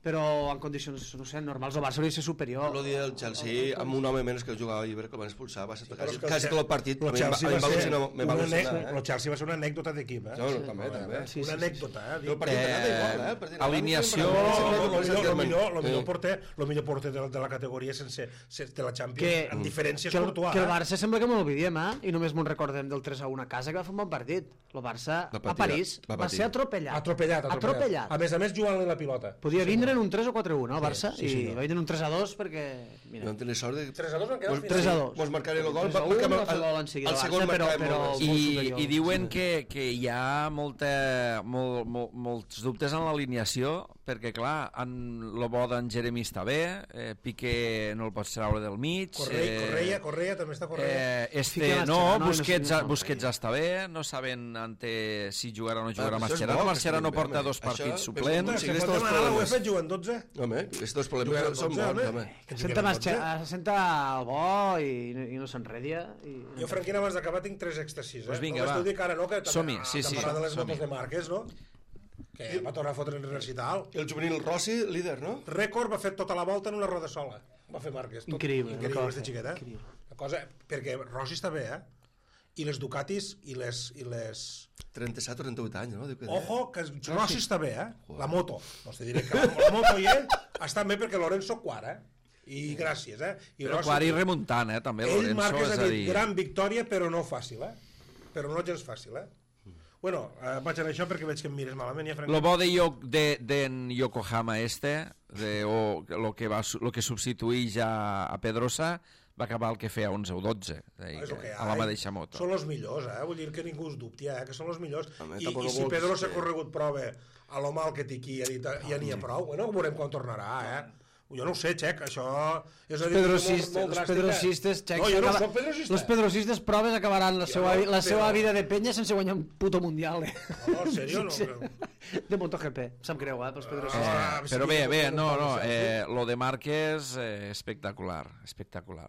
però en condicions, no sé, normals, el Barça hauria de ser superior. El dia del Chelsea, amb un home menys que jugava Iber, que el van expulsar, va ser Però quasi, és que el quasi Che- tot el partit. el a mi em va- Chelsea a mi em va va ser al·lucinar, me va una al·lucinar, anec- el Chelsea va ser una anècdota d'equip, eh? No, no, també, també. Sí, sí, Una sí, anècdota, eh? El partit anava igual, eh? El partit anava alineació- igual. No, Sempre no, com el el millor, Saint-Germain. millor, el millor Eh. porter, el millor porter de la, de la categoria sense, sense de la Champions, Que- en diferència és que el, Courtois. que el eh? Barça sembla que m'ho oblidem, eh? I només m'ho recordem del tres a un a casa, que va fer un bon partit. El Barça Va a patir, París va va, patir. ser atropellat. Atropellat, atropellat. atropellat. A més a més, jugant-li la pilota. Podia vindre en un tres o quatre a un, no, el Barça? sí, sí, I no. va vindre en un tres a dos perquè... Mira, Vam tenir sort de... tres a dos van quedar al Mos- final. tres a dos. Mos marcaré el gol, tres a un perquè va fer el, gol en seguida el el segon Barça, però- marcàvem però- molt bé. molt I, superior. i diuen que, que hi ha molta, molt, molt, molts dubtes en l'alineació, perquè clar, en, lo bo d'en Jeremy està bé, eh, Piqué no el pots treure del mig, Correia, Correia, Correia, també està Correia. eh, este Fica no, Mascherano i no Busquets, sé- no sé. Busquets està bé, no saben ante si jugarà o no jugarà Ah, però això és Mascherano, bo, que Mascherano estigui bé, porta home. dos Això, partits però suplents. escolta, Se sí, pot estos demanar a la problemes. UEFA juguen dotze? Home, aquests dos Juguen problemes són dotze, bons, home. home. Que senta, juguen Masche, dotze. senta el bo i, i no s'enredia. I... Jo, Franquina, abans d'acabar tinc tres èxtasis. Eh? Pues vinga, Només va. t'ho dic ara, no? Que també- Som-hi, ah, sí, sí, t'hem parlat de les som-hi. motos de Márquez, no? Que va tornar a fotre en recital. El juvenil Rossi, líder, no? Rècord va fer tota la volta en una roda sola. Va fer Márquez. Tot. Increïble, el que Increïble, va este fer, xiquet, eh? increïble. La cosa, perquè Rossi està bé, eh? I les Ducatis i les... I les... trenta-set o trenta-vuit anys, no? Diu que deia. Ojo, que Rossi està bé, eh? La moto. No te diré que la, la moto i ell estan bé perquè Lorenzo quart, eh? I gràcies, eh? I Però Rossi- Quart i remuntant, eh, també, ell Lorenzo, Márquez és ha a dit dir... gran victòria, però no fàcil, eh? Però no gens fàcil, eh? Bueno, eh, vaig a això perquè veig que em mires malament. Ja, Lo bo de, Yo- de, de en Yokohama este, de, o lo que, va, su- lo que substituïx a, a Pedrosa, va acabar el que feia onze o dotze, És el que hi a ha, la eh? mateixa moto. Són els millors, eh? Vull dir que ningú es dubti, eh? Que són els millors. Home, I, tampoc i si vols Pedro s'ha que- corregut prova a lo mal que té aquí, ja, dit, ja n'hi ha prou. Bueno, veurem quan tornarà, eh? Jo no ho sé, Xec, això és una decisió Pedrocist, molt, molt los dràstica. pedrocistes, Xec, No, jo no s'acaba- soc pedrocista. los pedrocistes proves acabaran la Jo seva, no, la seva però- vida de penya sense guanyar un puto mundial. Eh? No, en sèrio, no. Sí, Però... De MotoGP, em sap greu, eh, pels pedrocistes. Ah, Però sí, bé, que bé, pot no, no, preguntar-me, eh, lo de Márquez, eh, espectacular, espectacular.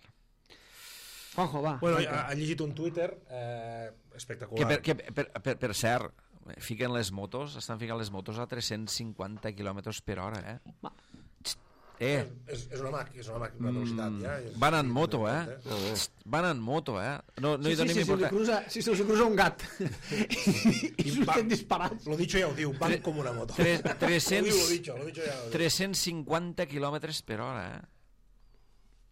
Juanjo, va. Bueno, arranca. ha, ha llegit un Twitter eh, Que espectacular. per, que per, per, per cert, fiquen les motos, estan ficant les motos a tres-cents cinquanta quilòmetres per hora, eh? Va. Eh, És, és una màquina, és una màquina, una velocitat, ja. És, van en moto, eh? No, bé. Van en moto, eh? No, no Sí, hi sí, donem sí, si, li importància. cruza, si se li cruza un gat i surten disparats. Lo dicho ja ho diu, van com una moto. Tres- Lo diu, tres-cents lo dicho, lo dicho ja ho diu. tres-cents cinquanta quilòmetres per hora, eh?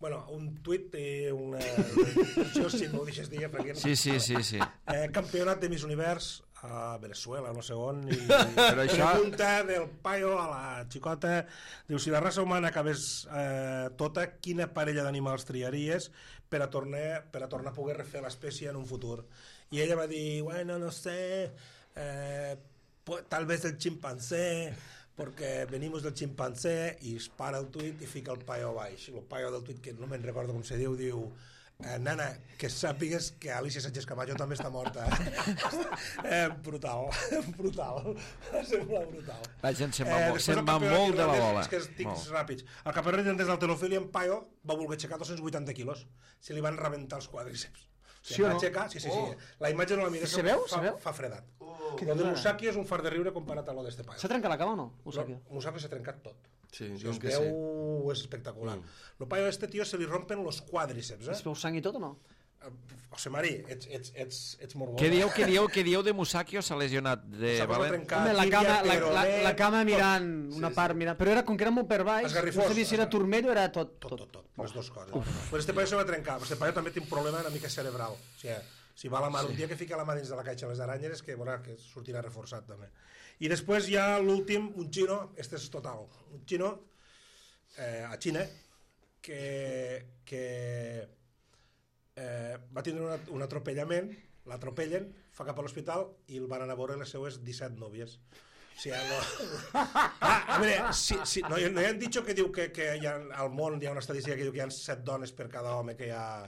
Bueno, un tuit i una... Això si m'ho deixes dir, Franquín. Sí, sí, sí, sí. Eh, campionat de Miss Univers a Venezuela, no sé on, i Però això- pregunta del paio a la xicota, diu, si la raça humana acabés eh, tota, quina parella d'animals triaries per a, tornar, per a tornar a poder refer l'espècie en un futur? I ella va dir, bueno, no sé, eh, pues, tal vez el chimpancé, porque venimos del chimpancé, i es para el tuit i fica el paio baix. El paio del tuit, que no me'n recordo com se diu, diu, eh, nana, que sàpigues que Alicia Sánchez Camacho també està morta. eh, brutal, brutal. Sembla brutal. La gent se'n va, Eh, mo- després se'n el va campionat molt de la irlandès, bola. És que estic Molt. ràpids. El campionat irlandès d'halterofilia, en Paio va voler aixecar dos-cents vuitanta quilos. Se li van rebentar els quadríceps. O sigui, Sí o va no? aixecar, sí, sí, sí. La imatge no la mires. Se veu? Fa, Se veu? fa fredat. Què Lo de dius ara? Musaki és un far de riure comparat a lo d'este Paio. S'ha trencat la cama o no? Ho No, sàpiga. Musaki s'ha trencat tot. Sí, Si diuen es que sí. veu, és espectacular. Lo Paio a este tio se li rompen los quadríceps, Es eh? veu sang i tot o no? José Mari, ets, ets, ets, ets morbós. Què dieu, què dieu, què dieu de Musakio? S'ha lesionat de S'ha valent? trencat Home, la tíbia, cama, la, la, peroné, la cama tot. mirant, Sí, una sí. part mirant, però era com que era molt per baix, Esgarrifós, no sabia si era esgar- turmell o era tot. Tot, tot, tot, les dues coses. Però este paio se va trencar, este paio també té un problema una mica cerebral. O sigui, si va la mà, un dia que fica la mà dins de la caixa de les aranyes, que veurà que sortirà reforçat també. I després hi ha l'últim, un xino, este és total, un xino eh, a Xina, que, que eh, va tindre una, un atropellament, l'atropellen, fa cap a l'hospital i el van anar a veure les seues disset nòvies. O sigui, no... Ah, a veure, si, si, no, no hi han dit que diu que, que hi ha, al món hi ha una estadística que diu que hi ha set dones per cada home que hi ha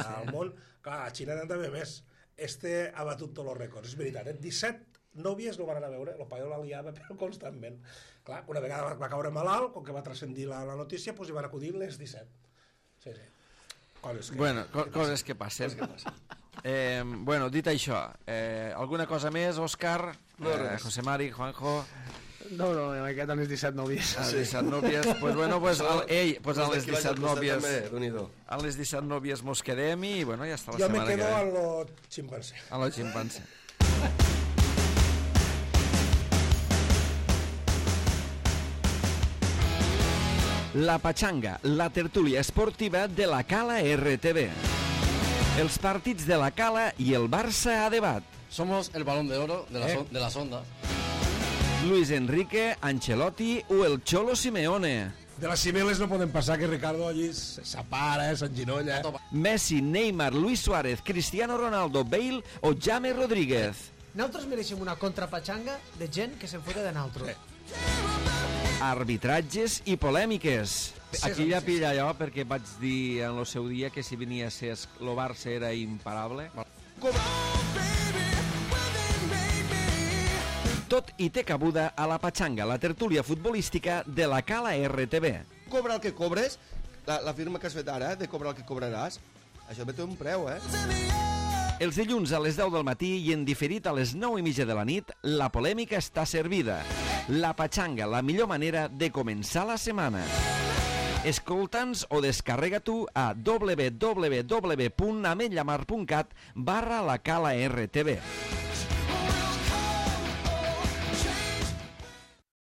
al món. Clar, a Xina n'han d'haver més. Este ha batut tots els rècords, és veritat. Eh? disset nòvies no van anar a veure, el paio la liava però constantment. Clar, una vegada va caure malalt, com que va transcendir la, la notícia, doncs hi van acudir les disset. Sí, sí. Coses que, bueno, co coses que passen. Coses que passen. Eh, bueno, dit això, eh, alguna cosa més, Òscar? No, eh, res. José Mari, Juanjo? No, no, m'he quedat amb les disset nòvies. A les disset nòvies, pues bueno, pues, al, ei, pues a les disset nòvies, Déu-n'hi-do. a les disset nòvies mos quedem i bueno, ja està la jo me setmana que quedo ve. a lo chimpancé. A la ximpanse. La Pachanga, la tertúlia esportiva de la Cala R T V. Els partits de la Cala i el Barça a debat. Somos el balón de oro de, la Eh. son- de las ondas. Luis Enrique, Ancelotti o el Cholo Simeone. De les cimeles no poden passar que Ricardo allí s'apara, s'enginolla. Messi, Neymar, Luis Suárez, Cristiano Ronaldo, Bale o James Rodríguez. Nosaltres mereixem una contrapatxanga de gent que se'n fota de nosaltres. Arbitratges i polèmiques. Aquí ja pilla allò perquè vaig dir en el seu dia que si venia a ser el Barça era imparable. Tot i té cabuda a la Pachanga, la tertúlia futbolística de la Cala R T V. Cobra el que cobres, la, la firma que has fet ara, de cobrar el que cobraràs, això ve té un preu, eh? Els dilluns a les deu del matí i en diferit a les nou i mitja de la nit, la polèmica està servida. La Pachanga, la millor manera de començar la setmana. Escolta'ns o descarrega tu a w w w punt ametlllamar punt cat barra la Cala R T V.